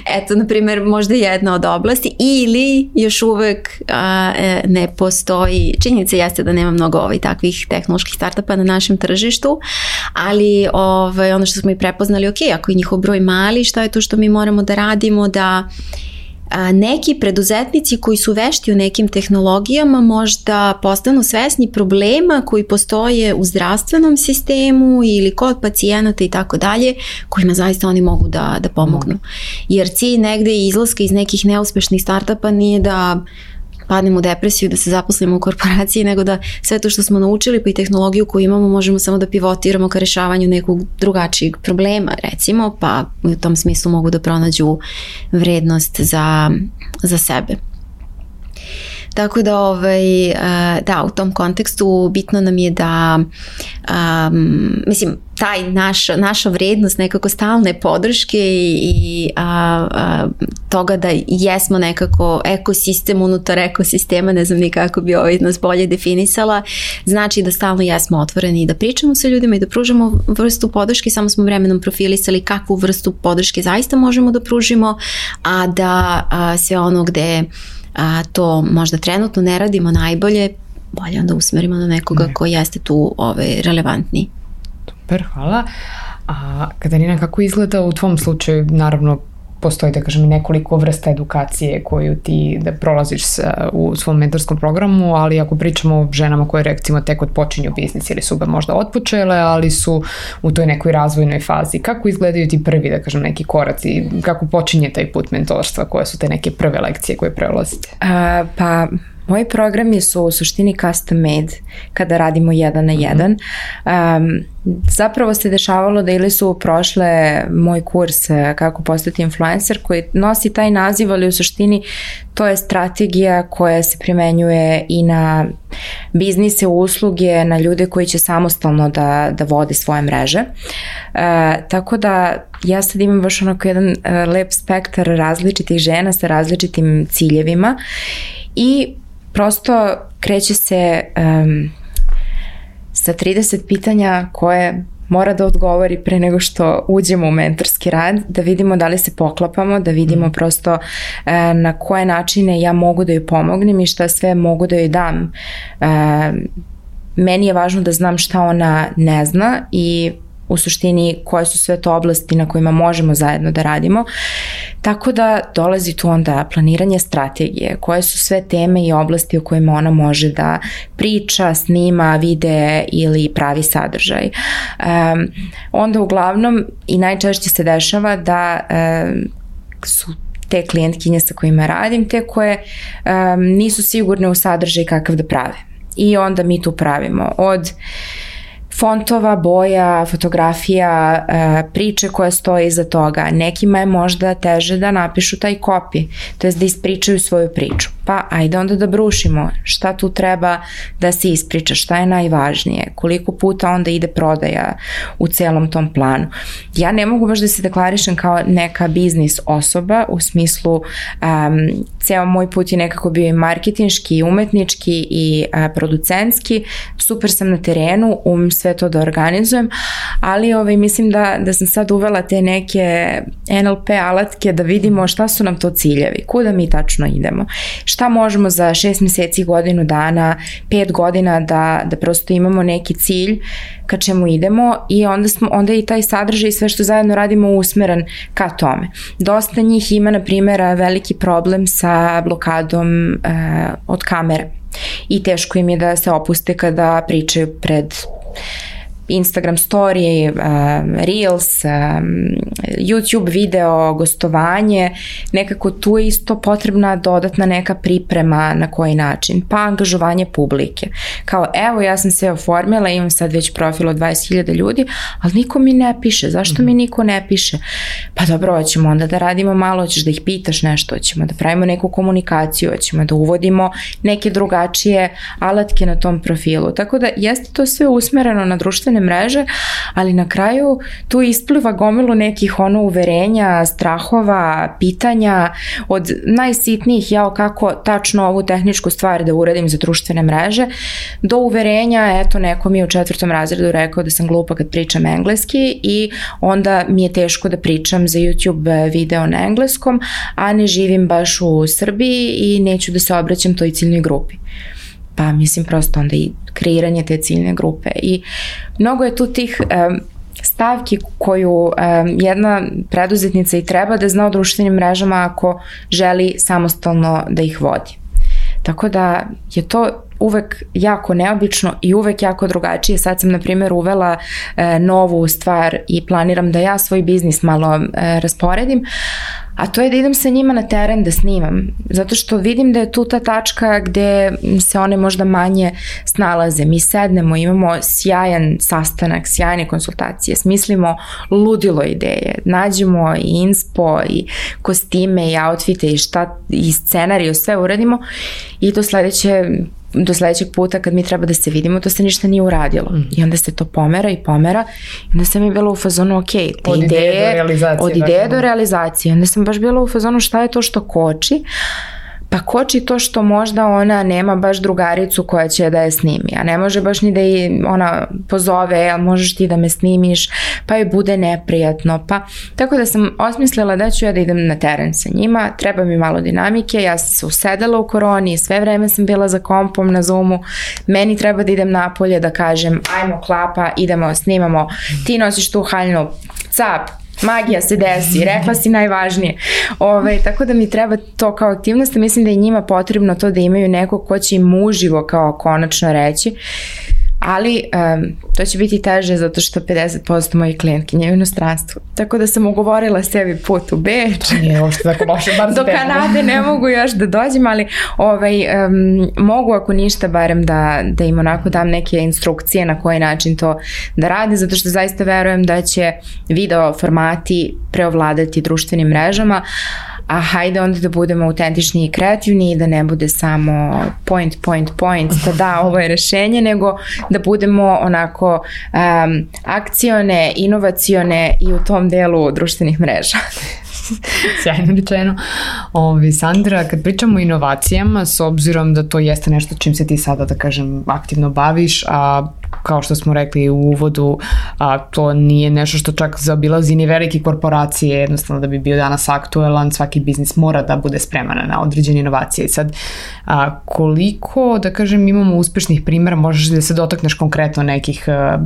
Eto, na primjer, možda jedna od oblasti ili još uvek a, ne postoji, činjenica jeste da nema mnogo ovaj, takvih tehnoloških startupa na našem tržištu, ali ovaj, ono što smo i prepoznali, ok, ako je njihov broj mali, šta je to što mi moramo da radimo da a, neki preduzetnici koji su vešti u nekim tehnologijama možda postanu svesni problema koji postoje u zdravstvenom sistemu ili kod pacijenata i tako dalje, kojima zaista oni mogu da, da pomognu. Jer cilj negde izlaska iz nekih neuspešnih startupa nije da padnemo u depresiju, da se zaposlimo u korporaciji, nego da sve to što smo naučili pa i tehnologiju koju imamo možemo samo da pivotiramo ka rešavanju nekog drugačijeg problema, recimo, pa u tom smislu mogu da pronađu vrednost za, za sebe. Tako da, ovaj, da, u tom kontekstu bitno nam je da, um, mislim, taj naš, naša vrednost nekako stalne podrške i, i a, a, toga da jesmo nekako ekosistem unutar ekosistema, ne znam ni kako bi ovaj nas bolje definisala, znači da stalno jesmo otvoreni i da pričamo sa ljudima i da pružamo vrstu podrške, samo smo vremenom profilisali kakvu vrstu podrške zaista možemo da pružimo, a da a, sve ono gde a, to možda trenutno ne radimo najbolje, bolje onda usmerimo na nekoga ne. Koji jeste tu ovaj, relevantni. Super, hvala. A Katarina, kako izgleda u tvom slučaju, naravno postoji, da kažem, nekoliko vrsta edukacije koju ti da prolaziš sa, u svom mentorskom programu, ali ako pričamo o ženama koje recimo tek odpočinju biznis ili su ga možda otpočele, ali su u toj nekoj razvojnoj fazi, kako izgledaju ti prvi, da kažem, neki koraci, kako počinje taj put mentorstva, koje su te neke prve lekcije koje prelazite? A, pa... Moji programi su u suštini custom made kada radimo jedan na jedan. Um, zapravo se dešavalo da ili su prošle moj kurs kako postati influencer koji nosi taj naziv, ali u suštini to je strategija koja se primenjuje i na biznise, usluge, na ljude koji će samostalno da, da vode svoje mreže. Uh, tako da ja sad imam baš onako jedan uh, lep spektar različitih žena sa različitim ciljevima i prosto kreće se um, sa trideset pitanja koje mora da odgovori pre nego što uđemo u mentorski rad, da vidimo da li se poklapamo, da vidimo prosto uh, na koje načine ja mogu da joj pomognem i šta sve mogu da joj dam. Uh, meni je važno da znam šta ona ne zna i u suštini koje su sve to oblasti na kojima možemo zajedno da radimo. Tako da dolazi tu onda planiranje strategije, koje su sve teme i oblasti o kojima ona može da priča, snima, vide ili pravi sadržaj. Um, onda uglavnom i najčešće se dešava da um, su te klijentkinje sa kojima radim, te koje um, nisu sigurne u sadržaj kakav da prave. I onda mi tu pravimo od fontova, boja, fotografija, priče koja stoje iza toga. Nekima je možda teže da napišu taj copy, to jest da ispričaju svoju priču. Pa ajde onda da brušimo šta tu treba da se ispriča, šta je najvažnije, koliko puta onda ide prodaja u celom tom planu. Ja ne mogu baš da se deklarišem kao neka biznis osoba, u smislu um, ceo moj put je nekako bio i marketinški, i umetnički, i uh, producentski. Super sam na terenu, umem sve to da organizujem, ali ovaj, mislim da, da sam sad uvela te neke N L P alatke da vidimo šta su nam to ciljevi, kuda mi tačno idemo, šta možemo za šest meseci, godinu dana, pet godina da, da prosto imamo neki cilj ka čemu idemo i onda, smo, onda i taj sadržaj i sve što zajedno radimo usmeren ka tome. Dosta njih ima, na primjer, veliki problem sa blokadom e, od kamere i teško im je da se opuste kada pričaju pred Instagram story, um, Reels, um, YouTube video, gostovanje, nekako tu je isto potrebna dodatna neka priprema na koji način, pa angažovanje publike. Kao evo ja sam se oformila, imam sad već profil od dvadeset hiljada ljudi, ali niko mi ne piše, zašto mi niko ne piše? Pa dobro, hoćemo onda da radimo malo, hoćeš da ih pitaš nešto, hoćemo da pravimo neku komunikaciju, hoćemo da uvodimo neke drugačije alatke na tom profilu. Tako da jeste to sve usmereno na društvene mreže, ali na kraju tu ispliva gomilu nekih ono uverenja, strahova, pitanja od najsitnijih, jao kako tačno ovu tehničku stvar da uradim za društvene mreže, do uverenja, eto neko mi je u četvrtom razredu rekao da sam glupa kad pričam engleski i onda mi je teško da pričam za YouTube video na engleskom, a ne živim baš u Srbiji i neću da se obraćam toj ciljnoj grupi. Pa mislim prosto onda i kreiranje te ciljne grupe i mnogo je tu tih um, stavki koju um, jedna preduzetnica i treba da zna o društvenim mrežama ako želi samostalno da ih vodi. Tako da je to uvek jako neobično i uvek jako drugačije. Sad sam, na primjer, uvela e, novu stvar i planiram da ja svoj biznis malo e, rasporedim, a to je da idem sa njima na teren da snimam, zato što vidim da je tu ta tačka gde se one možda manje snalaze. Mi sednemo, imamo sjajan sastanak, sjajne konsultacije, smislimo ludilo ideje, nađemo i inspo i kostime i outfite i šta i scenariju, sve uradimo i do sledeće do sledećeg puta kad mi treba da se vidimo, to se ništa nije uradilo. Mm. I onda se to pomera i pomera. I onda sam mi bila u fazonu, ok, te od ideje, ideje do realizacije. Od ideje do realizacije. Onda sam baš bila u fazonu šta je to što koči. Pa pa koči to što možda ona nema baš drugaricu koja će da je snimi, a ne može baš ni da je ona pozove, jel možeš ti da me snimiš, pa joj bude neprijatno, pa tako da sam osmislila da ću ja da idem na teren sa njima, treba mi malo dinamike, ja sam se usedala u koroni, sve vreme sam bila za kompom na Zoomu, meni treba da idem napolje da kažem ajmo klapa, idemo, snimamo, ti nosiš tu haljnu, cap, magija se desi, rekla si najvažnije. Ove, tako da mi treba to kao aktivnost, mislim da je njima potrebno to da imaju neko ko će im uživo kao konačno reći, ali um, to će biti teže zato što pedeset posto mojih klijentkinja je u inostranstvu. Tako da sam ugovorila sebi put u Beč. Nije ošto tako loše, bar do Kanade ne mogu još da dođem, ali ovaj, um, mogu ako ništa barem da, da im onako dam neke instrukcije na koji način to da rade, zato što zaista verujem da će video formati preovladati društvenim mrežama, a hajde onda da budemo autentični i kreativni i da ne bude samo point, point, point, da da, ovo je rešenje, nego da budemo onako um, akcione, inovacione i u tom delu društvenih mreža. Sjajno rečeno. Ovi, Sandra, kad pričamo o inovacijama, s obzirom da to jeste nešto čim se ti sada, da kažem, aktivno baviš, a kao što smo rekli u uvodu, a, to nije nešto što čak zaobilazi ni velike korporacije, jednostavno da bi bio danas aktuelan, svaki biznis mora da bude spreman na određene inovacije. I sad, a, koliko, da kažem, imamo uspešnih primjera, možeš da se dotakneš konkretno nekih a,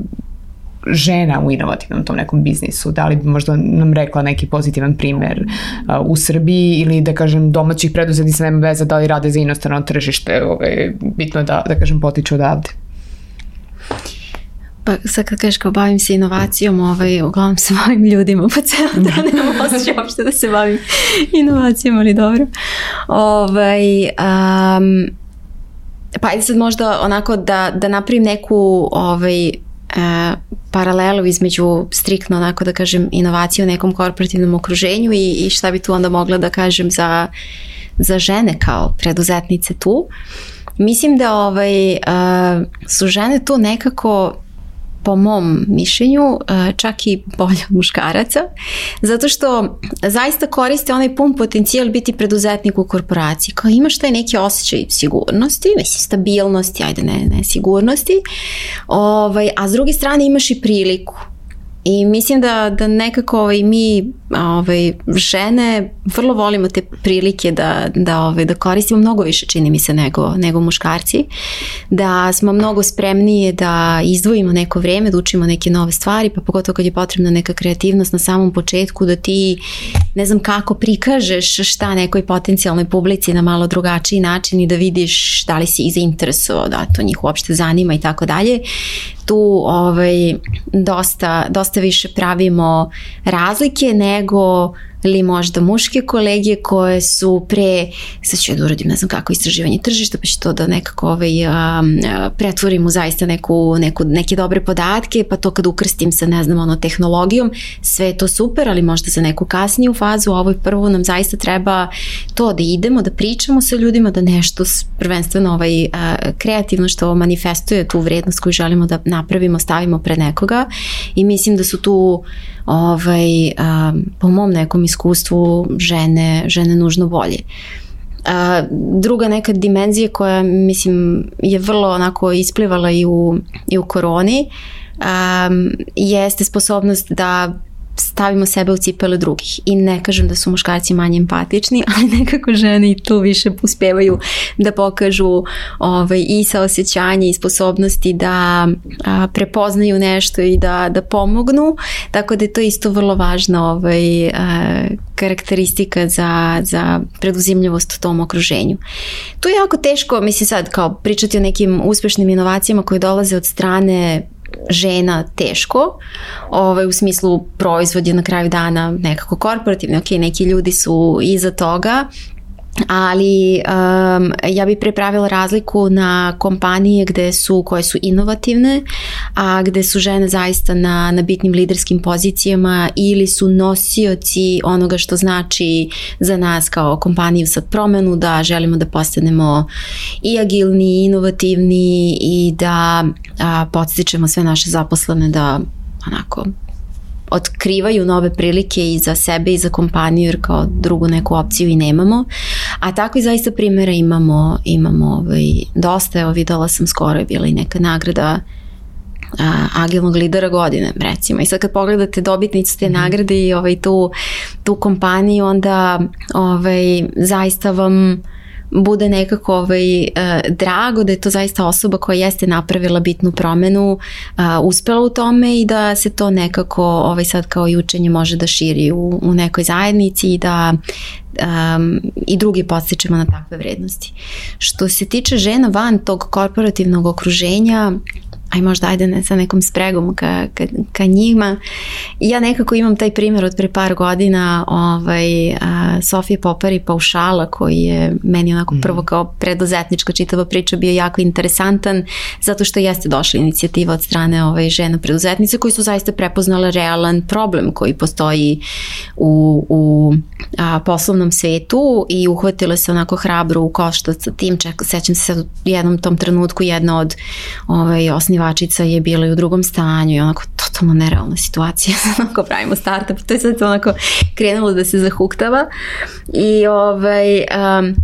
žena u inovativnom tom nekom biznisu, da li bi možda nam rekla neki pozitivan primjer uh, u Srbiji ili da kažem domaćih preduzetnica, nema veze da li rade za inostrano tržište, ovaj, bitno je da, da kažem potiču odavde. Pa sad kad kažeš kao bavim se inovacijom, ovaj, uglavnom se bavim ljudima po celo dan, nemam osjećaj uopšte da se bavim inovacijom, ali dobro. Ovaj, um, pa ajde sad možda onako da, da napravim neku ovaj, Uh, paralelu između striktno onako da kažem inovacije u nekom korporativnom okruženju i, i šta bi tu onda mogla da kažem za, za žene kao preduzetnice tu. Mislim da ovaj, uh, su žene tu nekako po mom mišljenju čak i bolje od muškaraca, zato što zaista koriste onaj pun potencijal biti preduzetnik u korporaciji. Kao imaš taj neki osjećaj sigurnosti, mislim stabilnosti, ajde ne, ne sigurnosti, ovaj, a s druge strane imaš i priliku. I mislim da, da nekako ovaj, mi ovaj, žene vrlo volimo te prilike da, da, ovaj, da koristimo mnogo više, čini mi se, nego, nego muškarci. Da smo mnogo spremnije da izdvojimo neko vreme, da učimo neke nove stvari, pa pogotovo kad je potrebna neka kreativnost na samom početku, da ti ne znam kako prikažeš šta nekoj potencijalnoj publici na malo drugačiji način i da vidiš da li si ih zainteresovao, da to njih uopšte zanima i tako dalje. Tu ovaj, dosta, dosta više pravimo razlike nego ili možda muške kolege koje su pre, sad ću ja da uradim ne znam kako istraživanje tržišta, pa ću to da nekako ovaj, a, a, pretvorim u zaista neku, neku, neke dobre podatke, pa to kad ukrstim sa ne znam ono tehnologijom, sve je to super, ali možda za neku kasniju fazu, a ovoj prvo nam zaista treba to da idemo, da pričamo sa ljudima, da nešto prvenstveno ovaj, a, kreativno što manifestuje tu vrednost koju želimo da napravimo, stavimo pred nekoga i mislim da su tu ovaj, a, po mom nekom iskustvu žene, žene nužno bolje. A, druga neka dimenzija koja mislim je vrlo onako isplivala i u, i u koroni a, jeste sposobnost da stavimo sebe u cipele drugih i ne kažem da su muškarci manje empatični, ali nekako žene i tu više uspevaju da pokažu ovaj, i saosećanje i sposobnosti da a, prepoznaju nešto i da, da pomognu, tako da je to isto vrlo važna ovaj, a, karakteristika za, za preduzimljivost u tom okruženju. Tu je jako teško, mislim sad kao pričati o nekim uspešnim inovacijama koje dolaze od strane žena teško, ovaj, u smislu proizvod je na kraju dana nekako korporativni, ok, neki ljudi su iza toga, ali um, ja bih prepravila razliku na kompanije gde su, koje su inovativne, a gde su žene zaista na, na bitnim liderskim pozicijama ili su nosioci onoga što znači za nas kao kompaniju sad promenu, da želimo da postanemo i agilni, i inovativni i da a, podstičemo sve naše zaposlene da onako otkrivaju nove prilike i za sebe i za kompaniju, jer kao drugu neku opciju i nemamo. A tako i zaista primjera imamo, imamo ovaj, dosta. Evo, videla sam skoro je bila i neka nagrada a, agilnog lidera godine, recimo. I sad kad pogledate dobitnicu te nagrade i ovaj, tu, tu kompaniju, onda ovaj, zaista vam bude nekako ovaj, uh, drago da je to zaista osoba koja jeste napravila bitnu promenu, uh, uspela u tome i da se to nekako ovaj, sad kao i učenje može da širi u, u nekoj zajednici i da um, i drugi podstičemo na takve vrednosti. Što se tiče žena van tog korporativnog okruženja, aj možda ajde ne, sa nekom spregom ka, ka, ka njima. Ja nekako imam taj primjer od pre par godina ovaj, a, Sofije Popari Paušala, koji je meni onako prvo kao preduzetnička čitava priča bio jako interesantan, zato što jeste došla inicijativa od strane ovaj, žena preduzetnice koji su zaista prepoznale realan problem koji postoji u, u a, poslovnom svetu i uhvatile se onako hrabro u koštac sa tim. Ček, sećam se sad u jednom tom trenutku jedna od ovaj, osnivačica je bila i u drugom stanju i onako totalno nerealna situacija. Onako pravimo startup i to je sad onako krenulo da se zahuktava i ovaj... Um,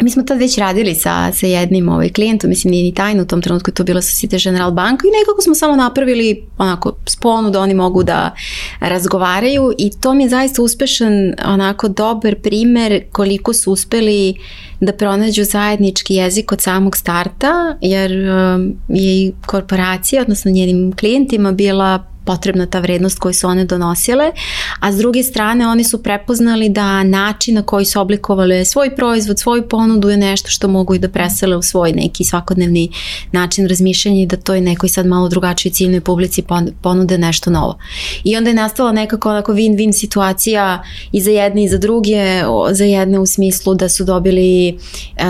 mi smo tad već radili sa, sa jednim ovaj, klijentom, mislim nije ni tajno, u tom trenutku je to bila Societe Generale banka i nekako smo samo napravili onako sponu da oni mogu da razgovaraju i to mi je zaista uspešan, onako dobar primer koliko su uspeli da pronađu zajednički jezik od samog starta, jer um, je i korporacija, odnosno njenim klijentima bila potrebna ta vrednost koju su one donosile, a s druge strane oni su prepoznali da način na koji su oblikovali svoj proizvod, svoju ponudu je nešto što mogu i da presele u svoj neki svakodnevni način razmišljanja i da to je nekoj sad malo drugačiji ciljnoj publici ponude nešto novo. I onda je nastala nekako onako win-win situacija i za jedne i za druge, za jedne u smislu da su dobili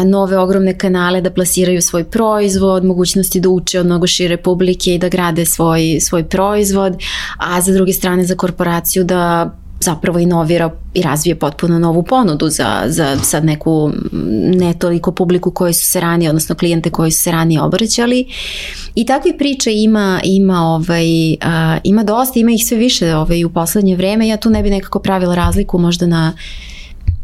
nove ogromne kanale da plasiraju svoj proizvod, mogućnosti da uče od mnogo šire publike i da grade svoj, svoj proizvod, a za druge strane za korporaciju da zapravo inovira i razvije potpuno novu ponudu za, za sad neku ne toliko publiku koji su se ranije, odnosno klijente koji su se ranije obraćali. I takve priče ima, ima, ovaj, a, ima dosta, ima ih sve više ovaj, u poslednje vreme. Ja tu ne bi nekako pravila razliku možda na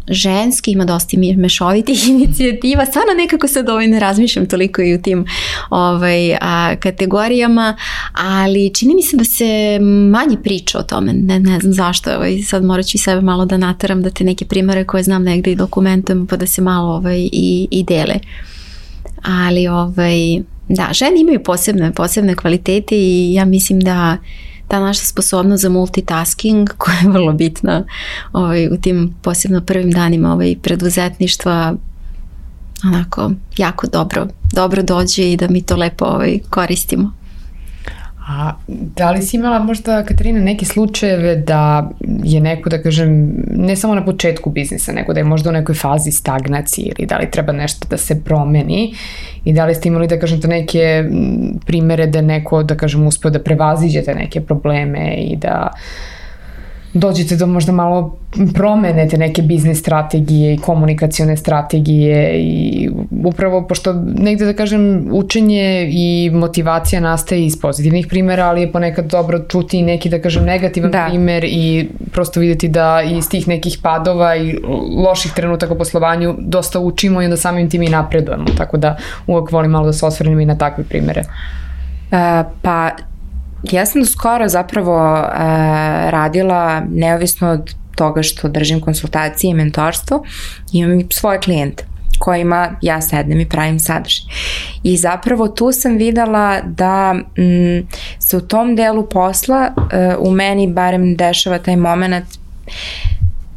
ženski, ima dosta mešovitih inicijativa, stvarno nekako sad ovaj ne razmišljam toliko i u tim ovaj, a, kategorijama, ali čini mi se da se manje priča o tome, ne, ne znam zašto, ovaj, sad morat ću i sebe malo da nateram da te neke primere koje znam negde i dokumentujem pa da se malo ovaj, i, i dele. Ali ovaj, da, žene imaju posebne, posebne kvalitete i ja mislim da ta naša sposobnost za multitasking koja je vrlo bitna ovaj, u tim posebno prvim danima ovaj, preduzetništva onako jako dobro, dobro dođe i da mi to lepo ovaj, koristimo. A da li si imala možda, Katarina, neke slučajeve da je neko, da kažem, ne samo na početku biznisa, nego da je možda u nekoj fazi stagnacije ili da li treba nešto da se promeni i da li ste imali, da kažem, to neke primere da neko, da kažem, uspeo da prevaziđete neke probleme i da dođete do možda malo promenete neke biznis strategije i komunikacione strategije i upravo pošto negde da kažem učenje i motivacija nastaje iz pozitivnih primjera, ali je ponekad dobro čuti i neki da kažem negativan da. primer i prosto vidjeti da iz tih nekih padova i loših trenutaka u poslovanju dosta učimo i onda samim tim i napredujemo, tako da uvek volim malo da se osvrnem i na takve primere. Uh, pa ja sam do skoro zapravo uh, radila neovisno od toga što držim konsultacije i mentorstvo, imam i svoje klijente kojima ja sednem i pravim sadržaj. I zapravo tu sam videla da m, se u tom delu posla uh, u meni barem dešava taj moment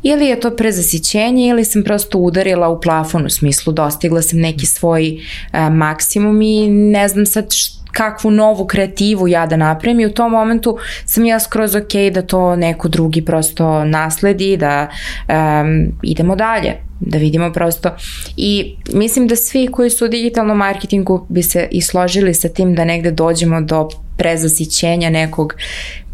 ili je to prezasićenje ili sam prosto udarila u plafon, u smislu dostigla sam neki svoj uh, maksimum i ne znam sad što kakvu novu kreativu ja da napravim i u tom momentu sam ja skroz ok da to neko drugi prosto nasledi, da um, idemo dalje, da vidimo prosto i mislim da svi koji su u digitalnom marketingu bi se i složili sa tim da negde dođemo do prezasićenja nekog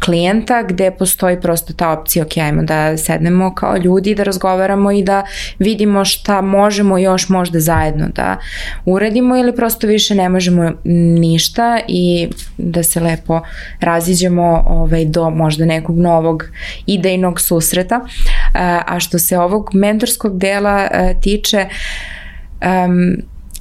klijenta gde postoji prosto ta opcija, ok, ajmo da sednemo kao ljudi, da razgovaramo i da vidimo šta možemo još možda zajedno da uradimo ili prosto više ne možemo ništa i da se lepo raziđemo ovaj, do možda nekog novog idejnog susreta. A što se ovog mentorskog dela tiče, um,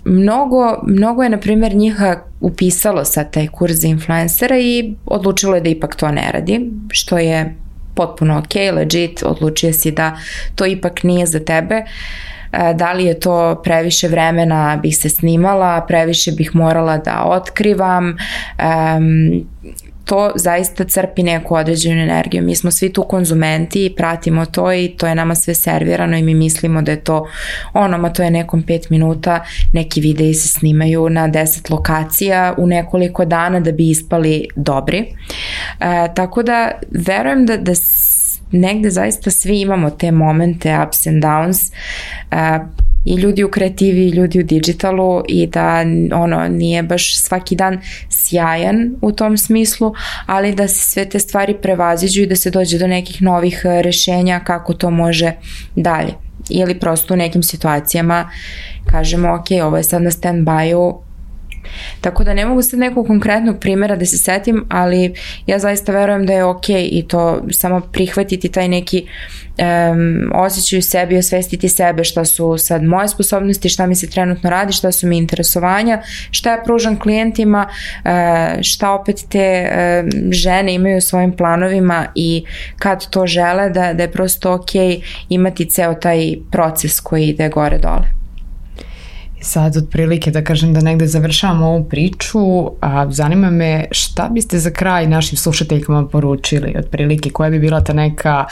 Mnogo, mnogo je, na primjer, njiha upisalo sad taj kurs za influencera i odlučilo je da ipak to ne radi, što je potpuno ok, legit, odlučio si da to ipak nije za tebe. Da li je to previše vremena bih se snimala, previše bih morala da otkrivam, um, to zaista crpi neku određenu energiju. Mi smo svi tu konzumenti i pratimo to i to je nama sve servirano i mi mislimo da je to ono, ma to je nekom pet minuta, neki videi se snimaju na deset lokacija u nekoliko dana da bi ispali dobri. E, tako da verujem da, da negde zaista svi imamo te momente ups and downs, e, i ljudi u kreativi i ljudi u digitalu i da ono nije baš svaki dan sjajan u tom smislu, ali da se sve te stvari prevaziđu i da se dođe do nekih novih rešenja kako to može dalje. Ili prosto u nekim situacijama kažemo ok, ovo je sad na stand-by-u. Tako da ne mogu sad nekog konkretnog primjera da se setim, ali ja zaista verujem da je ok i to samo prihvatiti taj neki um, osjećaj u sebi, osvestiti sebe šta su sad moje sposobnosti, šta mi se trenutno radi, šta su mi interesovanja, šta ja pružam klijentima, uh, šta opet te uh, žene imaju u svojim planovima i kad to žele, da, da je prosto ok imati ceo taj proces koji ide gore dole. Sad otprilike da kažem da negde završavamo ovu priču, a zanima me šta biste za kraj našim slušateljkama poručili, otprilike koja bi bila ta neka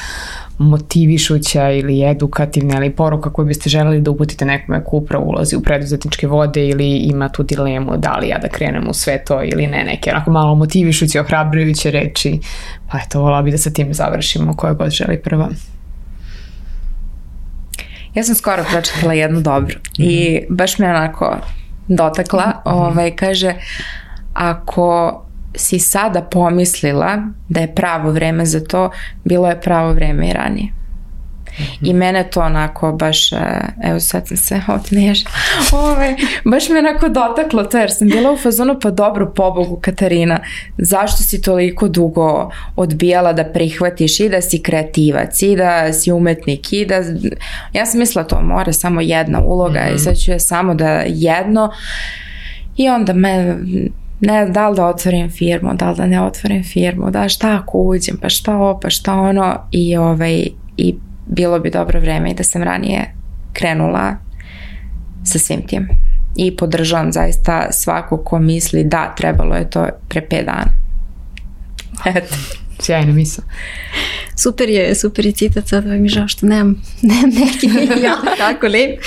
motivišuća ili edukativna ili poruka koju biste želeli da uputite nekome ko upravo ulazi u preduzetničke vode ili ima tu dilemu da li ja da krenem u sve to ili ne, neke onako malo motivišuće, ohrabrujuće reči, pa eto, volala bi da sa tim završimo, koja god želi prva. Ja sam skoro pročitala jednu dobru mm-hmm. i baš me onako dotakla, mm-hmm. ovaj, kaže, ako si sada pomislila da je pravo vreme za to, bilo je pravo vreme i ranije. Mm-hmm. I mene to onako baš, evo sad sam se otnežila, ovaj, baš me onako dotaklo to jer sam bila u fazonu, pa dobro, pobogu Katarina, zašto si toliko dugo odbijala da prihvatiš i da si kreativac i da si umetnik i da, ja sam mislila to mora samo jedna uloga mm-hmm. i sad ću ja samo da jedno i onda me ne, da li da otvorim firmu, da li da ne otvorim firmu, da šta ako uđem, pa šta ovo, pa šta ono i ovaj, i bilo bi dobro vreme i da sam ranije krenula sa svim tim. I podržavam zaista svako ko misli da trebalo je to pre pet dana. Eto. Sjajna misla. Super je, super je citat, sad mi žao što nemam, nemam neki ja, tako lep.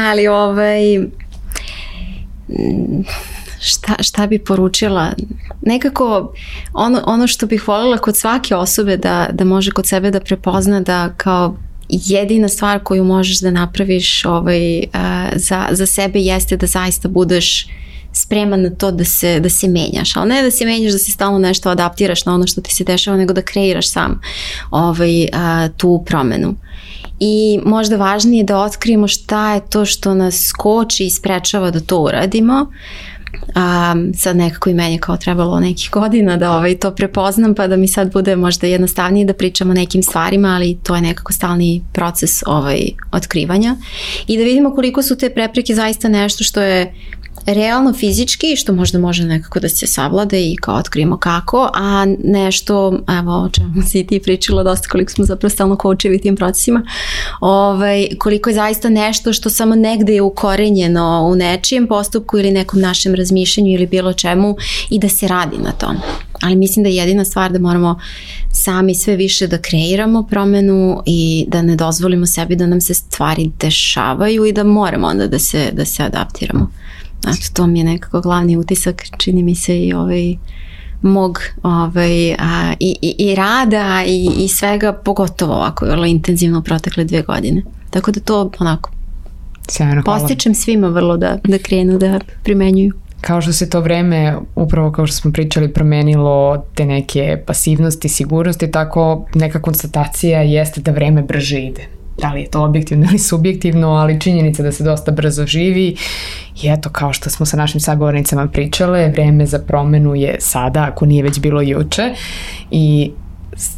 Ali ovaj... Šta, šta bi poručila? Nekako ono, ono što bih voljela kod svake osobe da, da može kod sebe da prepozna da kao jedina stvar koju možeš da napraviš ovaj, uh, za, za sebe jeste da zaista budeš spreman na to da se, da se menjaš, ali ne da se menjaš, da se stalno nešto adaptiraš na ono što ti se dešava, nego da kreiraš sam ovaj, uh, tu promenu. I možda važnije da otkrijemo šta je to što nas koči i sprečava da to uradimo. Um, sad nekako i meni kao trebalo nekih godina da ovaj, to prepoznam pa da mi sad bude možda jednostavnije da pričamo o nekim stvarima, ali to je nekako stalni proces ovaj, otkrivanja i da vidimo koliko su te prepreke zaista nešto što je realno fizički, što možda može nekako da se savlada i kao otkrijemo kako, a nešto, evo o čemu si ti pričala dosta, koliko smo zapravo stalno koučevi tim procesima, ovaj, koliko je zaista nešto što samo negde je ukorenjeno u nečijem postupku ili nekom našem razmišljanju ili bilo čemu i da se radi na tom. Ali mislim da je jedina stvar da moramo sami sve više da kreiramo promenu i da ne dozvolimo sebi da nam se stvari dešavaju i da moramo onda da se, da se adaptiramo. Znači, to mi je nekako glavni utisak, čini mi se i ovaj mog ovaj, a, i, i, i rada i, i svega, pogotovo ovako vrlo intenzivno protekle dve godine. Tako da to onako sjajno, postičem svima vrlo da, da krenu da primenjuju. kao što se to vreme, upravo kao što smo pričali, promenilo te neke pasivnosti, sigurnosti, tako neka konstatacija jeste da vreme brže ide. Da li je to objektivno ili subjektivno, ali činjenica da se dosta brzo živi i eto, kao što smo sa našim sagovornicama pričale, vreme za promenu je sada, ako nije već bilo juče, i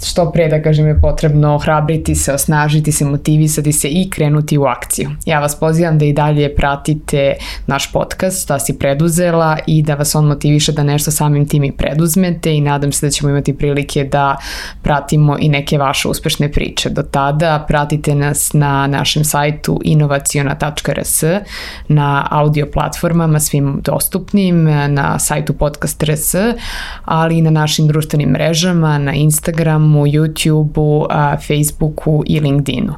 što pre, da kažem, je potrebno ohrabriti se, osnažiti se, motivisati se i krenuti u akciju. Ja vas pozivam da i dalje pratite naš podcast Šta si preduzela i da vas on motiviše da nešto samim tim i preduzmete i nadam se da ćemo imati prilike da pratimo i neke vaše uspešne priče. Do tada pratite nas na našem sajtu inovaciona tačka r s, na audio platformama svim dostupnim, na sajtu podcast tačka r s, ali i na našim društvenim mrežama, na Instagramu, YouTubeu, Facebooku i LinkedInu.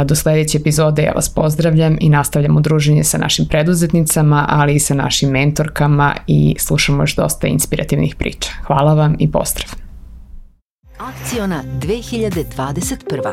Do sledeće epizode ja vas pozdravljam i nastavljamo druženje sa našim preduzetnicama, ali i sa našim mentorkama i slušamo još dosta inspirativnih priča. Hvala vam i pozdrav! Akciona dve hiljade dvadeset prva.